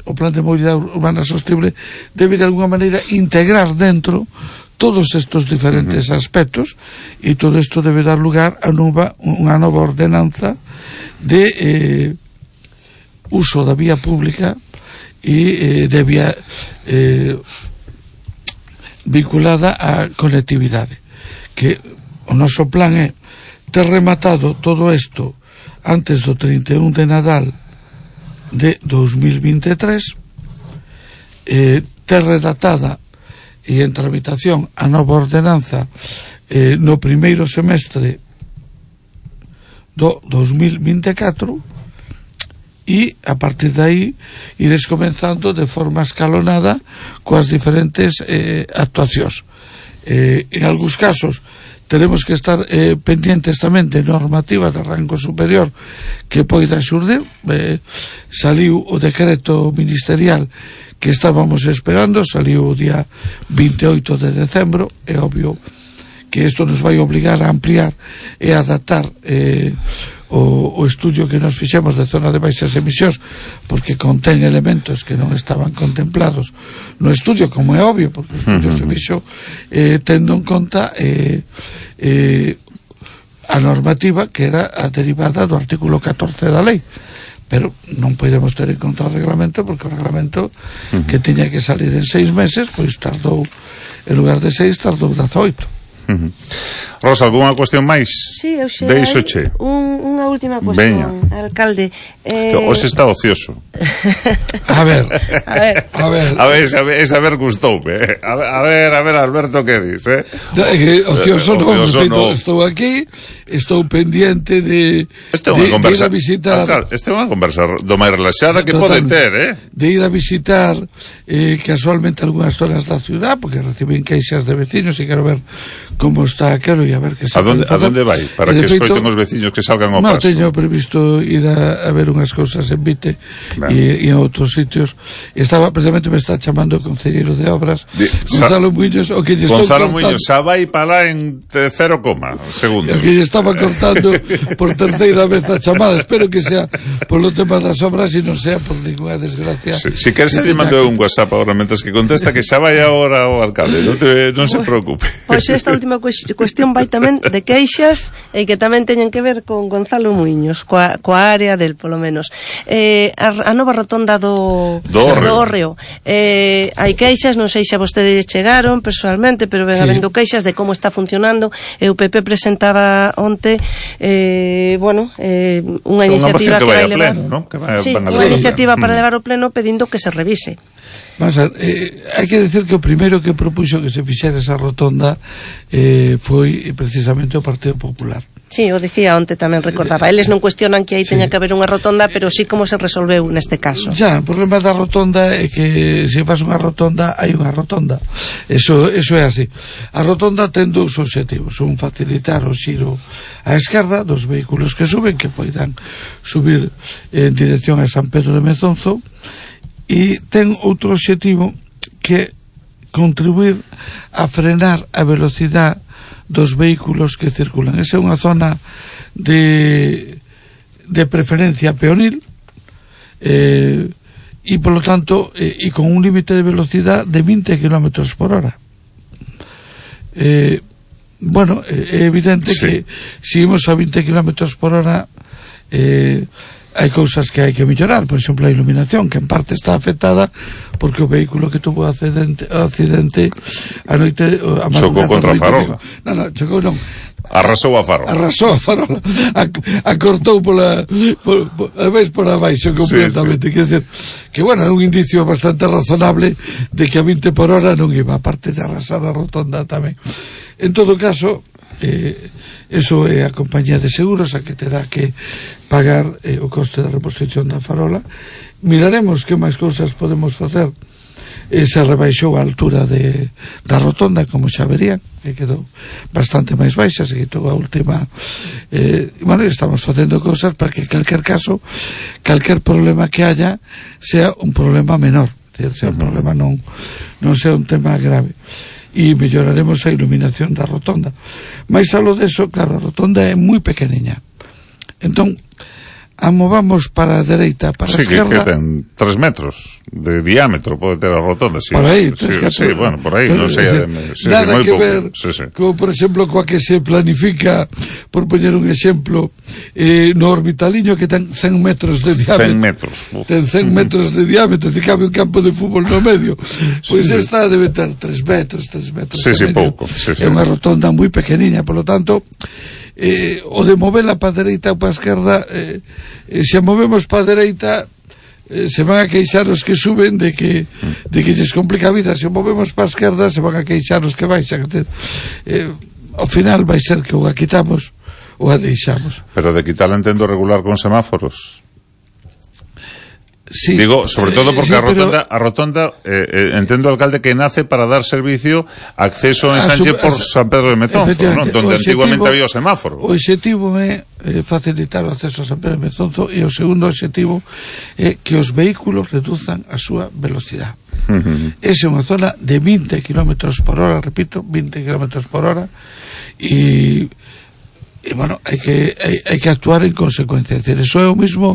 o plan de mobilidade urbana sostible, debe de alguna maneira integrar dentro todos estos diferentes aspectos, e todo isto debe dar lugar a unha nova ordenanza de uso da vía pública e de vía vinculada á conectividade, que o noso plan é ter rematado todo isto antes do 31 de Nadal de 2023, ter redactada e en tramitación a nova ordenanza no primeiro semestre do 2024, e a partir de aí ires comenzando de forma escalonada coas diferentes actuacións. En algúns casos Teremos que estar pendientes tamén de normativa de rango superior que poida xurdir. Saliu o decreto ministerial que estábamos esperando, saliu o día 28 de decembro. É obvio que isto nos vai obligar a ampliar e adaptar o estudio que nos fixemos de zona de baixas emisións, porque contén elementos que non estaban contemplados no estudio, como é obvio, porque o estudio se fixo tendo en conta a normativa que era a derivada do artículo 14 da lei, pero non podemos ter en conta o reglamento, porque o reglamento que tiña que salir en 6 meses, pois tardou, en lugar de 6 tardou 18. Rosa, algunha cuestión máis? Sí, eu xe Deixoche unha última cuestión, alcalde. Hoxe está ocioso. A ver, esa ver gustoume. A ver, Alberto, que dis, ocioso non, estou aquí, estou pendiente de ir a visitar. Esta é unha conversa do máis relaxada que pode ter, de ir a visitar casualmente algunhas zonas da ciudad, porque recibín queixas de vecinos e quero ver como está aquilo e a ver que se pode facer. A donde vai? Para que escoiten os veciños que salgan ao paso. Non, teño previsto ir a ver unhas cousas en Vite e en outros sitios. Estaba, precisamente me está chamando o concelleiro de obras, Gonzalo Muñoz, o que lle estou cortando. Gonzalo Muñoz, xa vai para en 0, segundos. O que lle estaba cortando por terceira vez a chamada. Espero que sea polo tema das obras e non sea por ninguna desgracia. Si queres, lle mando un WhatsApp agora mentres que contesta, que xa vai agora o alcalde, non se preocupe. Pois esta última cuestión vai tamén de queixas e que tamén teñen que ver con Gonzalo Muiños, coa área del, polo menos. A nova rotonda do Hórreo. Hai queixas, non sei se a vostede chegaron personalmente, pero ven habendo queixas de como está funcionando. O PP presentaba onte unha iniciativa que vai levar, unha iniciativa para levar ao pleno pedindo que se revise. Vamos a ver, hai que decir que o primeiro que propuxo que se fixera esa rotonda foi precisamente o Partido Popular. Sí, o dicía onte tamén, recordaba. Eles non cuestionan que aí teña que haber unha rotonda, pero sí como se resolveu neste caso. O problema da rotonda é que se faz unha rotonda, hai unha rotonda. Eso é así. A rotonda ten dous obxectivos: un, facilitar o xiro á esquerda dos vehículos que suben, que poidan subir en dirección a San Pedro de Mezonzo, e ten outro obxectivo, que contribuir a frenar a velocidade dos vehículos que circulan. Esa é unha zona de preferencia peonil e polo tanto e con un límite de velocidade de 20 km por hora. É evidente que se imos a 20 km por hora hai cousas que hai que mellorar. Por exemplo, a iluminación, que en parte está afectada porque o vehículo que tuvo accidente a noite chocou contra a farola. Non, chocou non, arrasou a farola, acortou por abaixo completamente. Quer dizer, que é un indicio bastante razonable de que a 20 por hora non iba, a parte de arrasar a rotonda tamén. En todo caso, eso é a compañía de seguros a que terá que pagar o coste da reposición da farola. Miraremos que máis cousas podemos facer. Se rebaixou a altura da rotonda, como xa verían, que quedou bastante máis baixa, se quitou a última. Estamos facendo cousas para que, en calquer caso, calquer problema que haya sea un problema menor, sea un problema non sea un tema grave, e melloraremos a iluminación da rotonda. Mais algo deso, claro, a rotonda é moi pequeniña, entón a movamos para a dereita, para a esquerda. Que ten 3 metros de diámetro, pode ter a rotonda. Por aí, por aí, non sei. Nada que ver, como por exemplo, coa que se planifica, por poñer un exemplo, no Orbitaliño, que ten 100 metros de diámetro. 100 metros. Ten 100 metros de diámetro, e cabe un campo de fútbol no medio. Pois esta debe ter 3 metros. Pouco. É unha rotonda moi pequeniña, por lo tanto, o de movela para a dereita ou para a esquerda, se a movemos para a dereita, se van a queixar os que suben de que lles complica a vida. Se o movemos para a esquerda, se van a queixar os que baixan. Ao final vai ser que ou a quitamos ou a deixamos. Pero de quitar entendo regular con semáforos. Sí. Digo, sobre todo porque sí, a rotonda entendo, alcalde, que nace para dar servicio acceso en Sánchez por San Pedro de Mezonzo, ¿no? Donde antiguamente había o semáforo. O objetivo é facilitar o acceso a San Pedro de Mezonzo, e o segundo objetivo é que os vehículos reduzan a súa velocidade. Esa é unha zona de 20 km por hora, repito, 20 km por hora, e bueno, hai que actuar en consecuencia. Es decir, eso é o mismo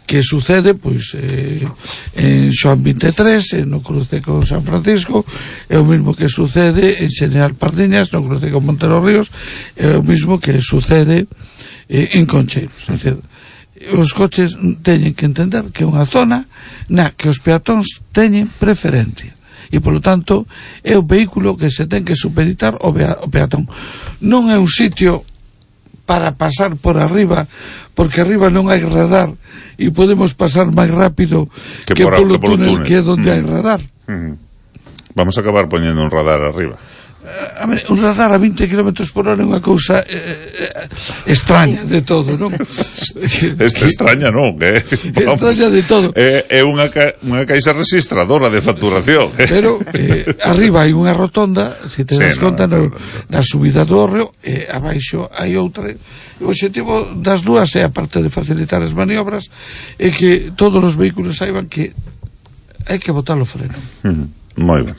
que sucede pois en Xoán 23, no cruce con San Francisco, é o mismo que sucede en Xeneral Pardiñas, no cruce con Montero Ríos, é o mismo que sucede en Concheiros. Es decir, os coches teñen que entender que é unha zona na que os peatóns teñen preferencia, e polo tanto é o vehículo que se ten que supeditar o peatón. Non é un sitio para pasar por arriba, porque arriba non hai radar e podemos pasar máis rápido que polo túnel, que é onde hai radar. Vamos a acabar poñendo un radar arriba. Un radar a 20 km por hora é unha cousa extraña de todo, non? Extraña non, extraña de todo. É unha caixa registradora de facturación. Pero arriba hai unha rotonda, se te das conta, na subida do Hórreo, e abaixo hai outra. O objetivo das dúas é, aparte de facilitar as maniobras, é que todos os vehículos saiban que hai que botar o freno. Moi ben.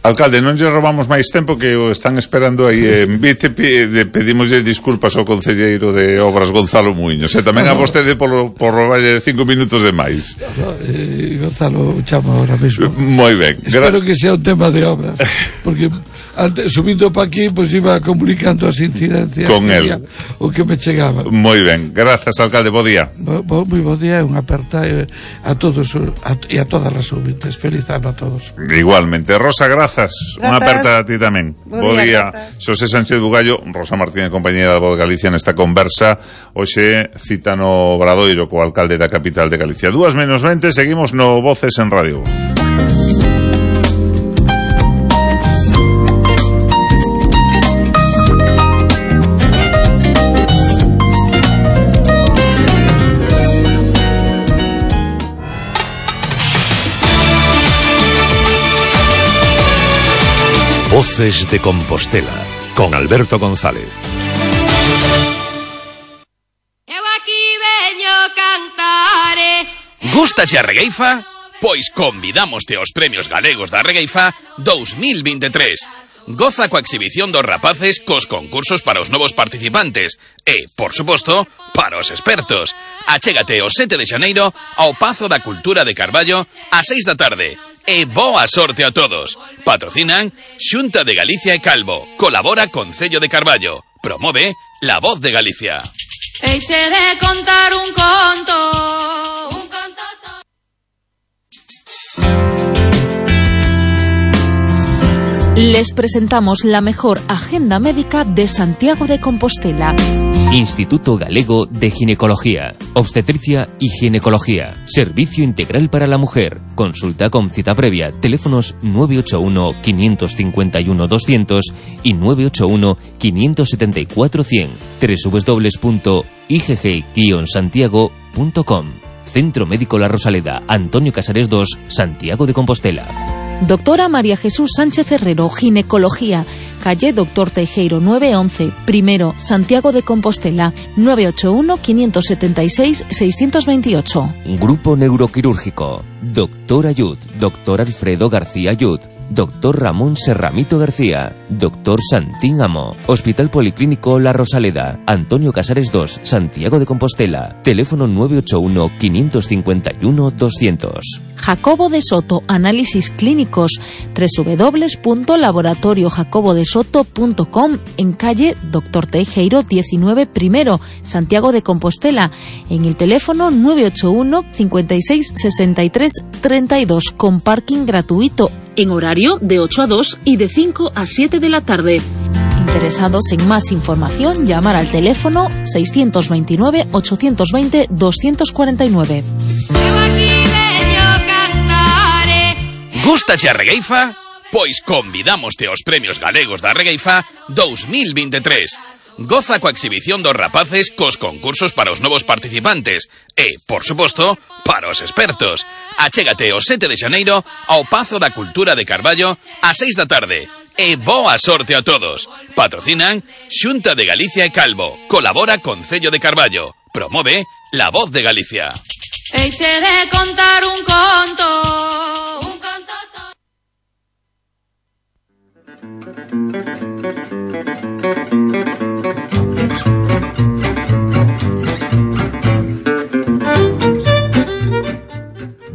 Alcalde, non lle robamos máis tempo, que o están esperando aí en Vite. Pedimoslle disculpas ao concelleiro de Obras, Gonzalo Muiños, e tamén a vostede por robarlle 5 minutos de máis. Gonzalo chamo ahora mesmo. Moi ben. Espero que sea un tema de obras, porque antes, subindo para aquí, pois iba comunicando as incidencias con el, o que me chegaba. Moi ben, grazas, alcalde, bo día. Moi bo día, unha aperta a todos e a todas as ouvintes. Feliz ano a todos. Igualmente. Rosa, grazas. Unha aperta a ti tamén. Bo día. Xosé Sánchez Bugallo, Rosa Martínez, compañera da Voz de Galicia, nesta conversa hoxe cita no Obradoiro co alcalde da capital de Galicia. 2:20, seguimos no Voces en Radio Voz. Voces de Compostela, con Alberto González. Eu aquí veño cantare. Gústache a regueifa? Pois convidámoste aos Premios Galegos da Regueifa 2023. Goza coa exhibición dos rapaces cos concursos para os novos participantes e, por suposto, para os expertos. Achégate o 7 de xaneiro ao Pazo da Cultura de Carballo a 6 da tarde. E boa sorte a todos. Patrocinan Xunta de Galicia e Calvo. Colabora Concello de Carballo. Promove La Voz de Galicia. Eixe de contar un conto. Un conto. Les presentamos la mejor agenda médica de Santiago de Compostela. Instituto Galego de Ginecología, Obstetricia y Ginecología. Servicio integral para la mujer. Consulta con cita previa. Teléfonos 981-551-200 y 981-574-100. www.igg-santiago.com. Centro Médico La Rosaleda, Antonio Casares 2, Santiago de Compostela. Doctora María Jesús Sánchez Herrero, Ginecología, calle Doctor Teijeiro 911, primero, Santiago de Compostela, 981-576-628. Grupo Neuroquirúrgico, Doctor Ayud, Doctor Alfredo García Ayud, Doctor Ramón Serramito García, Doctor Santín Amo, Hospital Policlínico La Rosaleda, Antonio Casares 2, Santiago de Compostela, teléfono 981-551-200. Jacobo de Soto, análisis clínicos, www.laboratoriojacobodesoto.com, en calle Doctor Teijeiro 19 primero, Santiago de Compostela, en el teléfono 981 56 63 32, con parking gratuito, en horario de 8 a 2 y de 5 a 7 de la tarde. Interesados en más información, llamar al teléfono 629 820 249. Gústache a regueifa? Pois convidámoste aos Premios Galegos da Regueifa 2023. Goza coa exhibición dos rapaces cos concursos para os novos participantes e, por suposto, para os expertos. Achégate o 7 de xaneiro ao Pazo da Cultura de Carballo ás 6 da tarde. E boa sorte a todos. Patrocinan Xunta de Galicia e Calvo. Colabora Concello de Carballo. Promove La Voz de Galicia. Eixe de contar un conto.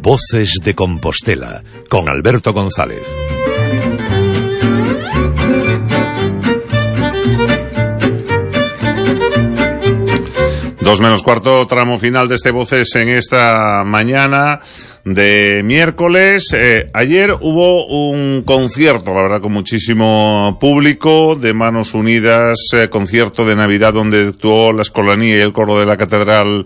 Voces de Compostela, con Alberto González. Dos menos cuarto, tramo final de este Voces en esta mañana de miércoles. Ayer hubo un concierto, la verdad, con muchísimo público, de Manos Unidas, concierto de Navidad donde actuó la Escolanía y el coro de la Catedral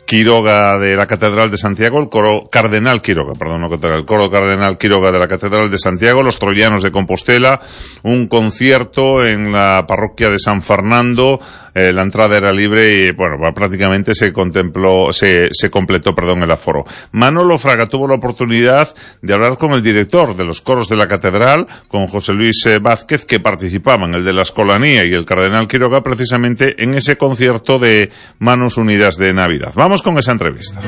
Quiroga de la Catedral de Santiago, el coro Cardenal Quiroga, el coro Cardenal Quiroga de la Catedral de Santiago, los Troyanos de Compostela, un concierto en la parroquia de San Fernando, la entrada era libre y, bueno, prácticamente se completó el aforo. Manolo Fraga tuvo la oportunidad de hablar con el director de los coros de la Catedral, con José Luis Vázquez, que participaban, el de la Escolanía y el Cardenal Quiroga, precisamente en ese concierto de Manos Unidas de Navidad. Vamos con esa entrevista.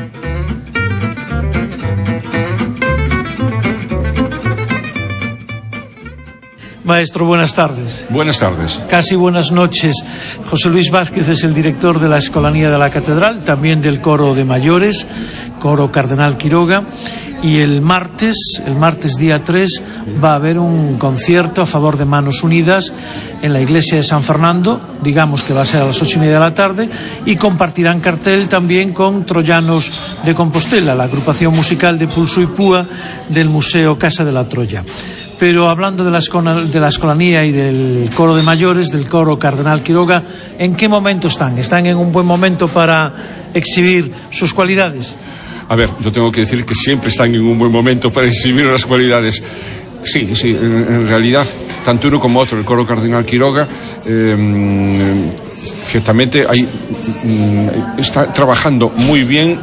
Maestro, buenas tardes. Buenas tardes. Casi buenas noches. José Luis Vázquez es el director de la Escolanía de la Catedral, también del coro de mayores, coro Cardenal Quiroga. Y el martes día 3, va a haber un concierto a favor de Manos Unidas en la iglesia de San Fernando, digamos que va a ser a las 8:30 de la tarde, y compartirán cartel también con Troyanos de Compostela, la agrupación musical de pulso y púa del Museo Casa de la Troya. Pero hablando de la Escolanía y del coro de mayores, del coro Cardenal Quiroga, ¿en qué momento están? ¿Están en un buen momento para exhibir sus cualidades? A ver, yo tengo que decir que siempre están en un buen momento para exhibir las cualidades. Sí, en realidad, tanto uno como otro, el coro Cardenal Quiroga, ciertamente está trabajando muy bien,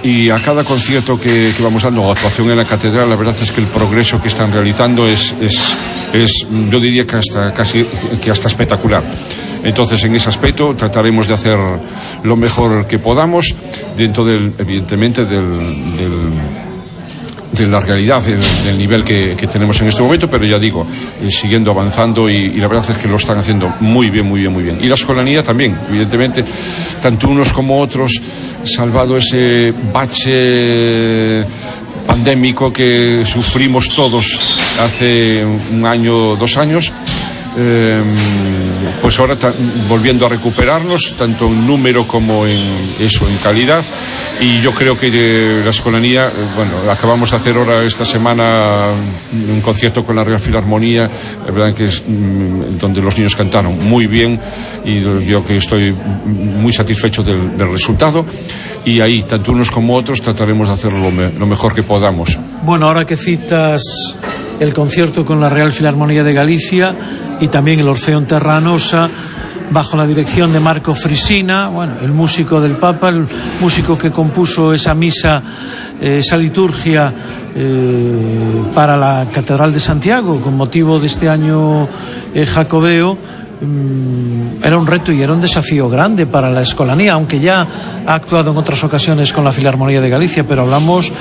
y a cada concierto que vamos dando, o actuación en la catedral, la verdad es que el progreso que están realizando es yo diría que hasta espectacular. Entonces, en ese aspecto trataremos de hacer lo mejor que podamos dentro evidentemente de la realidad, del nivel que tenemos en este momento, pero ya digo, siguiendo avanzando, y la verdad es que lo están haciendo muy bien. Y la Escolanía también, evidentemente, tanto unos como otros, salvado ese bache pandémico que sufrimos todos hace un año, 2 años, pues ahora volviendo a recuperarnos tanto en número como en calidad. Y yo creo que la Escolanía, acabamos de hacer ahora esta semana un concierto con la Real Filarmonía, la verdad que es donde los niños cantaron muy bien, y yo que estoy muy satisfecho del resultado, y ahí tanto unos como otros trataremos de hacerlo lo mejor que podamos. Bueno, ahora que citas el concierto con la Real Filarmonía de Galicia y también el Orfeón Terranosa, bajo la dirección de Marco Frisina, el músico del Papa, el músico que compuso esa misa, esa liturgia para la Catedral de Santiago con motivo de este año jacobeo. Era un reto y era un desafío grande para la Escolanía, aunque ya ha actuado en otras ocasiones con la Filarmonía de Galicia, pero hablamos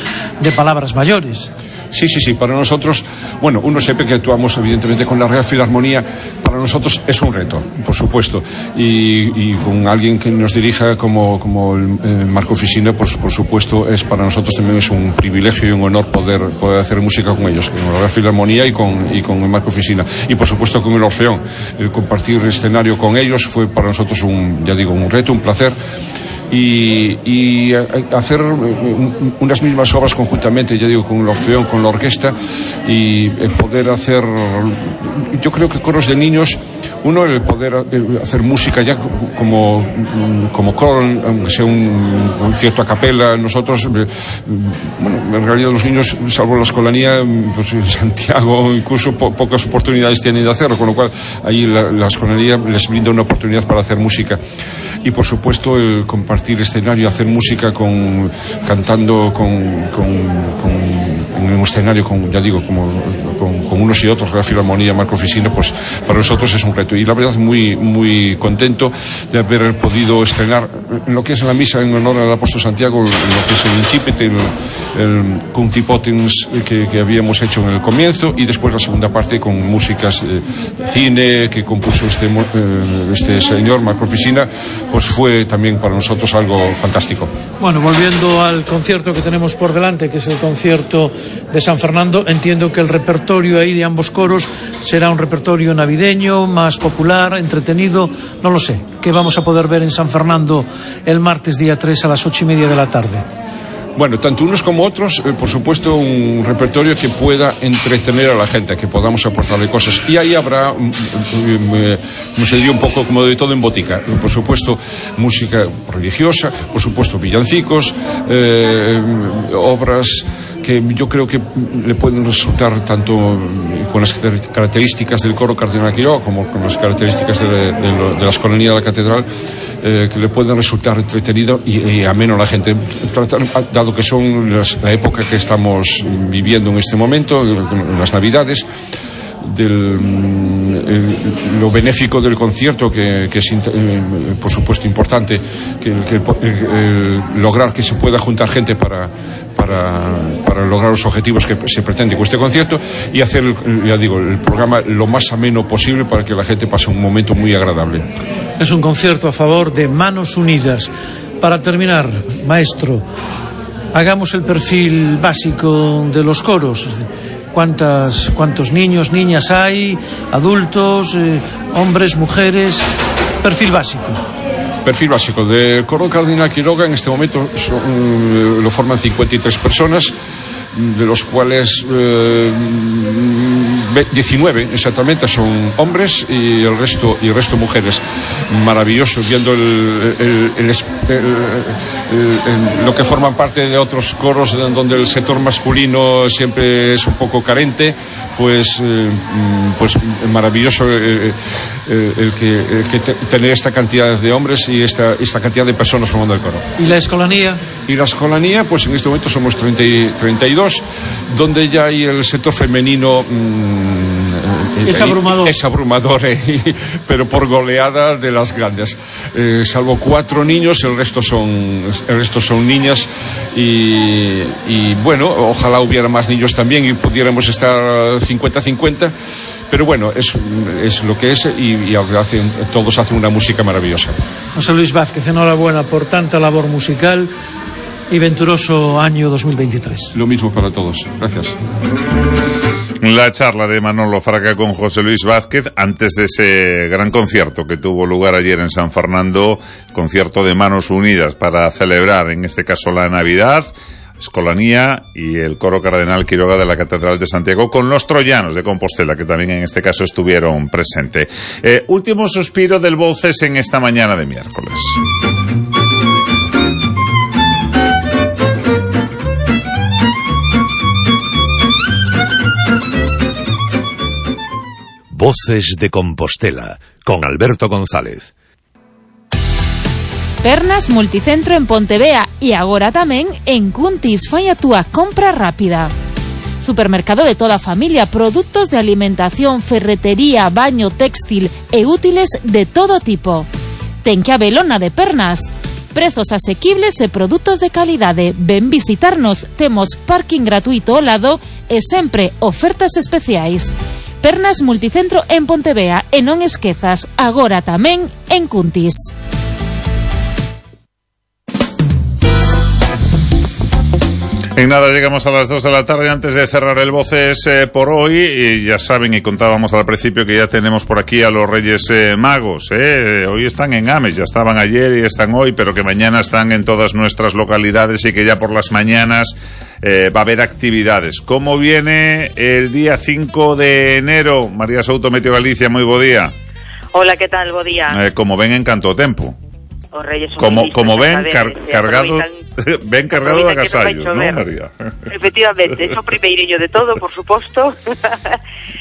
de palabras mayores. Sí, para nosotros, uno siempre que actuamos evidentemente con la Real Filarmonía, para nosotros es un reto, por supuesto, y con alguien que nos dirija como el Marco Frisina, por supuesto, para nosotros también es un privilegio y un honor poder hacer música con ellos, con la Real Filarmonía y con el Marco Frisina, y por supuesto con el Orfeón. El compartir escenario con ellos fue para nosotros un reto, un placer. Y hacer unas mismas obras conjuntamente, ya digo, con el Orfeón, con la orquesta, y poder hacer, yo creo que coros de niños Uno, el poder hacer música ya como coro, aunque sea un concierto a capela. Nosotros, bueno, en realidad los niños, salvo la escolanía, pues en Santiago incluso pocas oportunidades tienen de hacerlo, con lo cual ahí la escolanía les brinda una oportunidad para hacer música. Y por supuesto el compartir escenario, hacer música cantando en un escenario, ya digo, con unos y otros, la Filarmonía, Marco Ficino, pues para nosotros es un reto. Y la verdad muy, muy contento de haber podido estrenar lo que es la misa en honor al apóstol Santiago, lo que es el incipit, el Cunti Potens que habíamos hecho en el comienzo, y después la segunda parte con músicas cine que compuso este señor Marco Ficina, pues fue también para nosotros algo fantástico. Bueno, volviendo al concierto que tenemos por delante, que es el concierto de San Fernando, entiendo que el repertorio ahí de ambos coros será un repertorio navideño, más popular, entretenido, no lo sé. ¿Qué vamos a poder ver en San Fernando el martes día 3 a las 8:30 de la tarde? Bueno, tanto unos como otros, por supuesto, un repertorio que pueda entretener a la gente, que podamos aportarle cosas. Y ahí habrá, como se diría, un poco como de todo en botica. Por supuesto, música religiosa, por supuesto, villancicos, obras que yo creo que le pueden resultar tanto con las características del coro Cardenal Quiroga como con las características de la escolanía de la catedral, que le pueden resultar entretenido y ameno a la gente, dado que son la época que estamos viviendo en este momento, en las Navidades. Lo benéfico del concierto, que es por supuesto importante, que lograr que se pueda juntar gente para lograr los objetivos que se pretende con este concierto, y hacer, ya digo, el programa lo más ameno posible para que la gente pase un momento muy agradable. Es un concierto a favor de Manos Unidas. Para terminar, maestro, hagamos el perfil básico de los coros. ¿Cuántos niños, niñas hay, adultos, hombres, mujeres? Perfil básico. Perfil básico. Del coro Cardenal Quiroga en este momento lo forman 53 personas, de los cuales 19 exactamente son hombres y el resto mujeres. Maravilloso, viendo lo que forman parte de otros coros donde el sector masculino siempre es un poco carente, pues maravilloso el que tener esta cantidad de hombres y esta cantidad de personas formando el coro. ¿Y la escolanía? Y la escolanía, pues en este momento somos 32, donde ya hay el sector femenino es abrumador, pero por goleada de las grandes. Salvo 4 niños, el resto son niñas, y bueno, ojalá hubiera más niños también y pudiéramos estar 50-50, pero bueno, es lo que es, y todos hacen una música maravillosa. José Luis Vázquez, enhorabuena por tanta labor musical y venturoso año 2023. Lo mismo para todos. Gracias. La charla de Manolo Fraga con José Luis Vázquez antes de ese gran concierto que tuvo lugar ayer en San Fernando, concierto de Manos Unidas para celebrar, en este caso, la Navidad, escolanía y el coro Cardenal Quiroga de la Catedral de Santiago, con los troyanos de Compostela, que también en este caso estuvieron presentes. Último suspiro del Voces en esta mañana de miércoles. Voces de Compostela, con Alberto González. Pernas Multicentro en Pontevea e agora tamén en Cuntis. Fai a túa compra rápida. Supermercado de toda a familia, produtos de alimentación, ferretería, baño, textil e útiles de todo tipo. Ten que habelona de Pernas. Prezos asequibles e produtos de calidade. Ven visitarnos, temos parking gratuito ao lado e sempre ofertas especiais. Pernas Multicentro en Pontevea, e non esquezas, agora tamén en Cuntis. En nada llegamos a las 2 de la tarde. Antes de cerrar el Voces por hoy, y ya saben, y contábamos al principio que ya tenemos por aquí a los Reyes Magos. Hoy están en Ames, ya estaban ayer y están hoy, pero que mañana están en todas nuestras localidades y que ya por las mañanas va a haber actividades. ¿Cómo viene el día 5 de enero? María Souto, Meteo Galicia, muy buen día. Hola, que tal? Bo día. Como ven en canto tempo. Os reyes son como ven cargado ben cargado de agasallos, non, María? Efectivamente, eso primeiriño de todo, por suposto.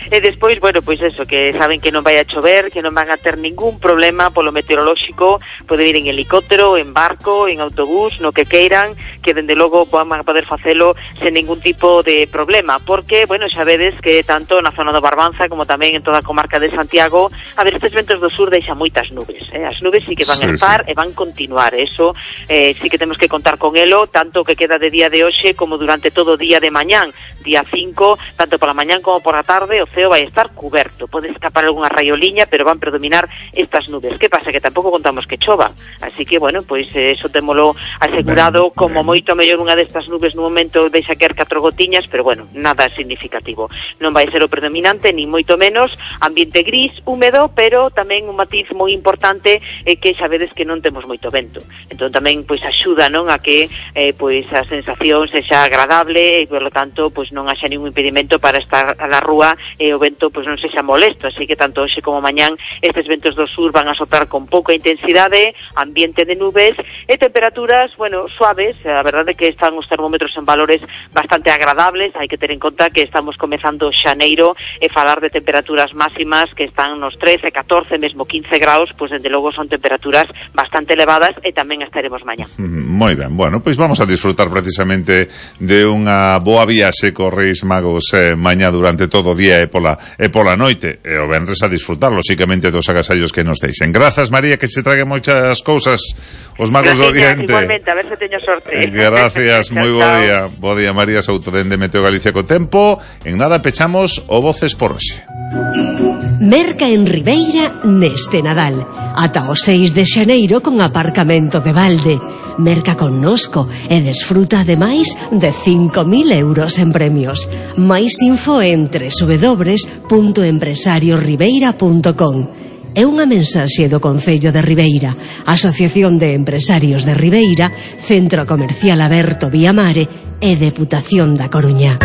E despois, bueno, pois eso, que saben que non vai a chover, que non van a ter ningún problema polo meteorolóxico, poden ir en helicóptero, en barco, en autobús, no que queiran, que dende logo van a poder facelo sen ningún tipo de problema, porque, bueno, xa vedes que tanto na zona do Barbanza como tamén en toda a comarca de Santiago, a ver, estes ventos do sur deixan moitas nubes, as nubes sí que van a estar e van continuar, eso sí que temos que contar con elo, tanto que queda de día de hoxe como durante todo o día de mañán, día 5, tanto pola mañán como por a tarde, o ceo vai estar cuberto, pode escapar algunha raioliña, pero van predominar estas nubes. Que pasa? Que tampouco contamos que chova, así que, bueno, pois eso témolo asegurado, como moito mellor unha destas nubes no momento deixa caer 4 gotiñas, pero bueno, nada significativo. Non vai ser o predominante, ni moito menos, ambiente gris, húmedo, pero tamén un matiz moi importante é que xa vedes que non temos moito vento. Entón tamén pois axuda, non, a que pois a sensación sexa agradable e, polo tanto, pois non haxa ningún impedimento para estar na rúa e o vento pois non sexa molesto, así que tanto hoxe como mañán estes ventos do sur van a soprar con pouca intensidade, ambiente de nubes e temperaturas, bueno, suaves. A verdade é que están os termómetros en valores bastante agradables, hai que ter en conta que estamos comezando xaneiro e falar de temperaturas máximas que están nos 13, 14, mesmo 15 graus, pois dende logo son temperaturas bastante elevadas e tamén estaremos mañá. Moi ben, bueno, pois vamos a disfrutar precisamente de unha boa viaxe cos Reis Magos mañá durante todo o día e pola noite, e o venres a disfrutar lóxicamente dos agasallos que nos deixen. Grazas, María, que se trague moitas cousas os Magos do Oriente. Igualmente, a ver se teño sorte. Gracias, moi bo día. Bo día, María Souto, dende Meteo Galicia co tempo. En nada pechamos o Voces por hoxe. Merca en Ribeira neste Nadal. Ata o 6 de xaneiro con aparcamento de balde. Merca connosco e desfruta ademais de 5.000 euros en premios. Mais info en www.empresariosribeira.com. É unha mensaxe do Concello de Ribeira, Asociación de Empresarios de Ribeira, Centro Comercial Aberto Viamare e Deputación da Coruña.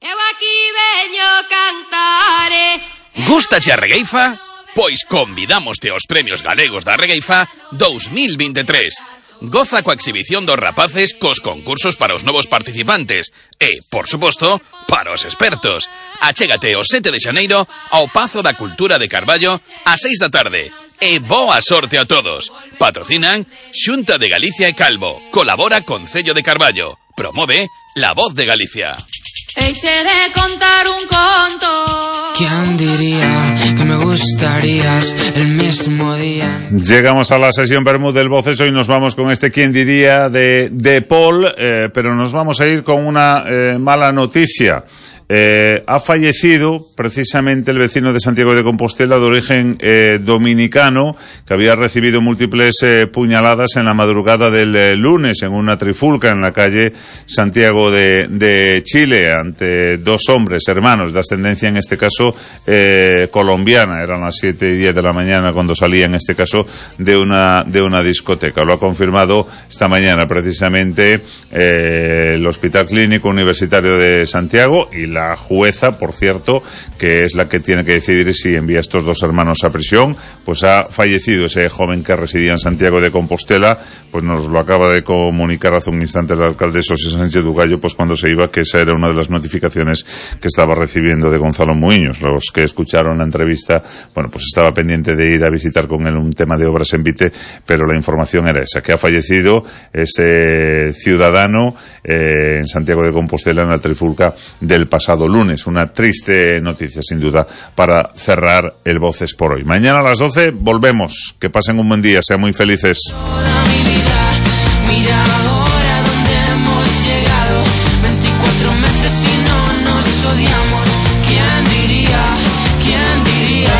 Eu aquí veño cantare. Gústache a regueifa? Pois convidámoste aos Premios Galegos da Regueifa 2023. Goza coa exhibición dos rapaces cos concursos para os novos participantes e, por suposto, para os expertos. Achégate o 7 de xaneiro ao Pazo da Cultura de Carballo a 6 da tarde. E boa sorte a todos. Patrocinan Xunta de Galicia e Calvo. Colabora Concello de Carballo. Promove La Voz de Galicia. Eixe de contar un conto. ¿Quién diría que me gustarías el mismo día? Llegamos a la sesión Bermúdez del Voces. Hoy nos vamos con este ¿Quién diría? de Paul, pero nos vamos a ir con una mala noticia. Ha fallecido precisamente el vecino de Santiago de Compostela de origen dominicano, que había recibido múltiples puñaladas en la madrugada del lunes en una trifulca en la calle Santiago de Chile, ante dos hombres hermanos de ascendencia, en este caso colombiana. Eran las 7:10 de la mañana cuando salía, en este caso, de una discoteca. Lo ha confirmado esta mañana precisamente el Hospital Clínico Universitario de Santiago, y la jueza, por cierto, que es la que tiene que decidir si envía a estos dos hermanos a prisión. Pues ha fallecido ese joven que residía en Santiago de Compostela. Pues nos lo acaba de comunicar hace un instante el alcalde José Sánchez Dugallo, pues cuando se iba, que esa era una de las notificaciones que estaba recibiendo de Gonzalo Muiños. Los que escucharon la entrevista, bueno, pues estaba pendiente de ir a visitar con él un tema de obras en Vite, pero la información era esa, que ha fallecido ese ciudadano en Santiago de Compostela en la trifulca del pasado lunes. Una triste noticia, sin duda, para cerrar el Voces por hoy. Mañana a las 12 volvemos. Que pasen un buen día, sean muy felices. Mira ahora dónde hemos llegado, 24 meses y no nos odiamos. ¿Quién diría? ¿Quién diría?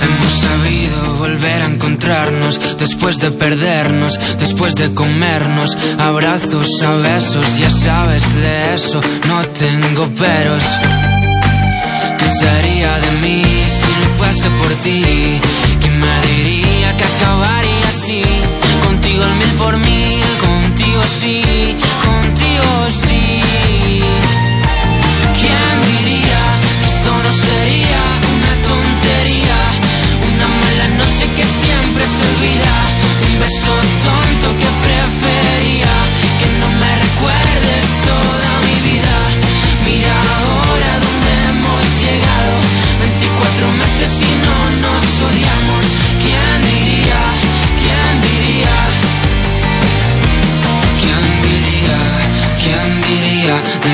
Hemos sabido volver a encontrarnos después de perdernos, después de comernos, abrazos a besos. Ya sabes de eso, no tengo peros. ¿Qué sería de mí si no fuese por ti? ¿Quién me diría que acabaría así? Contigo al 1000 contigo sí, contigo sí. ¿Quién diría?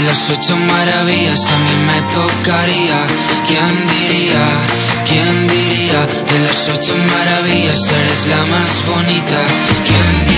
de las 8 maravillas a mí me tocaría. ¿Quién diría? ¿Quién diría? De las 8 maravillas eres la más bonita. ¿Quién diría?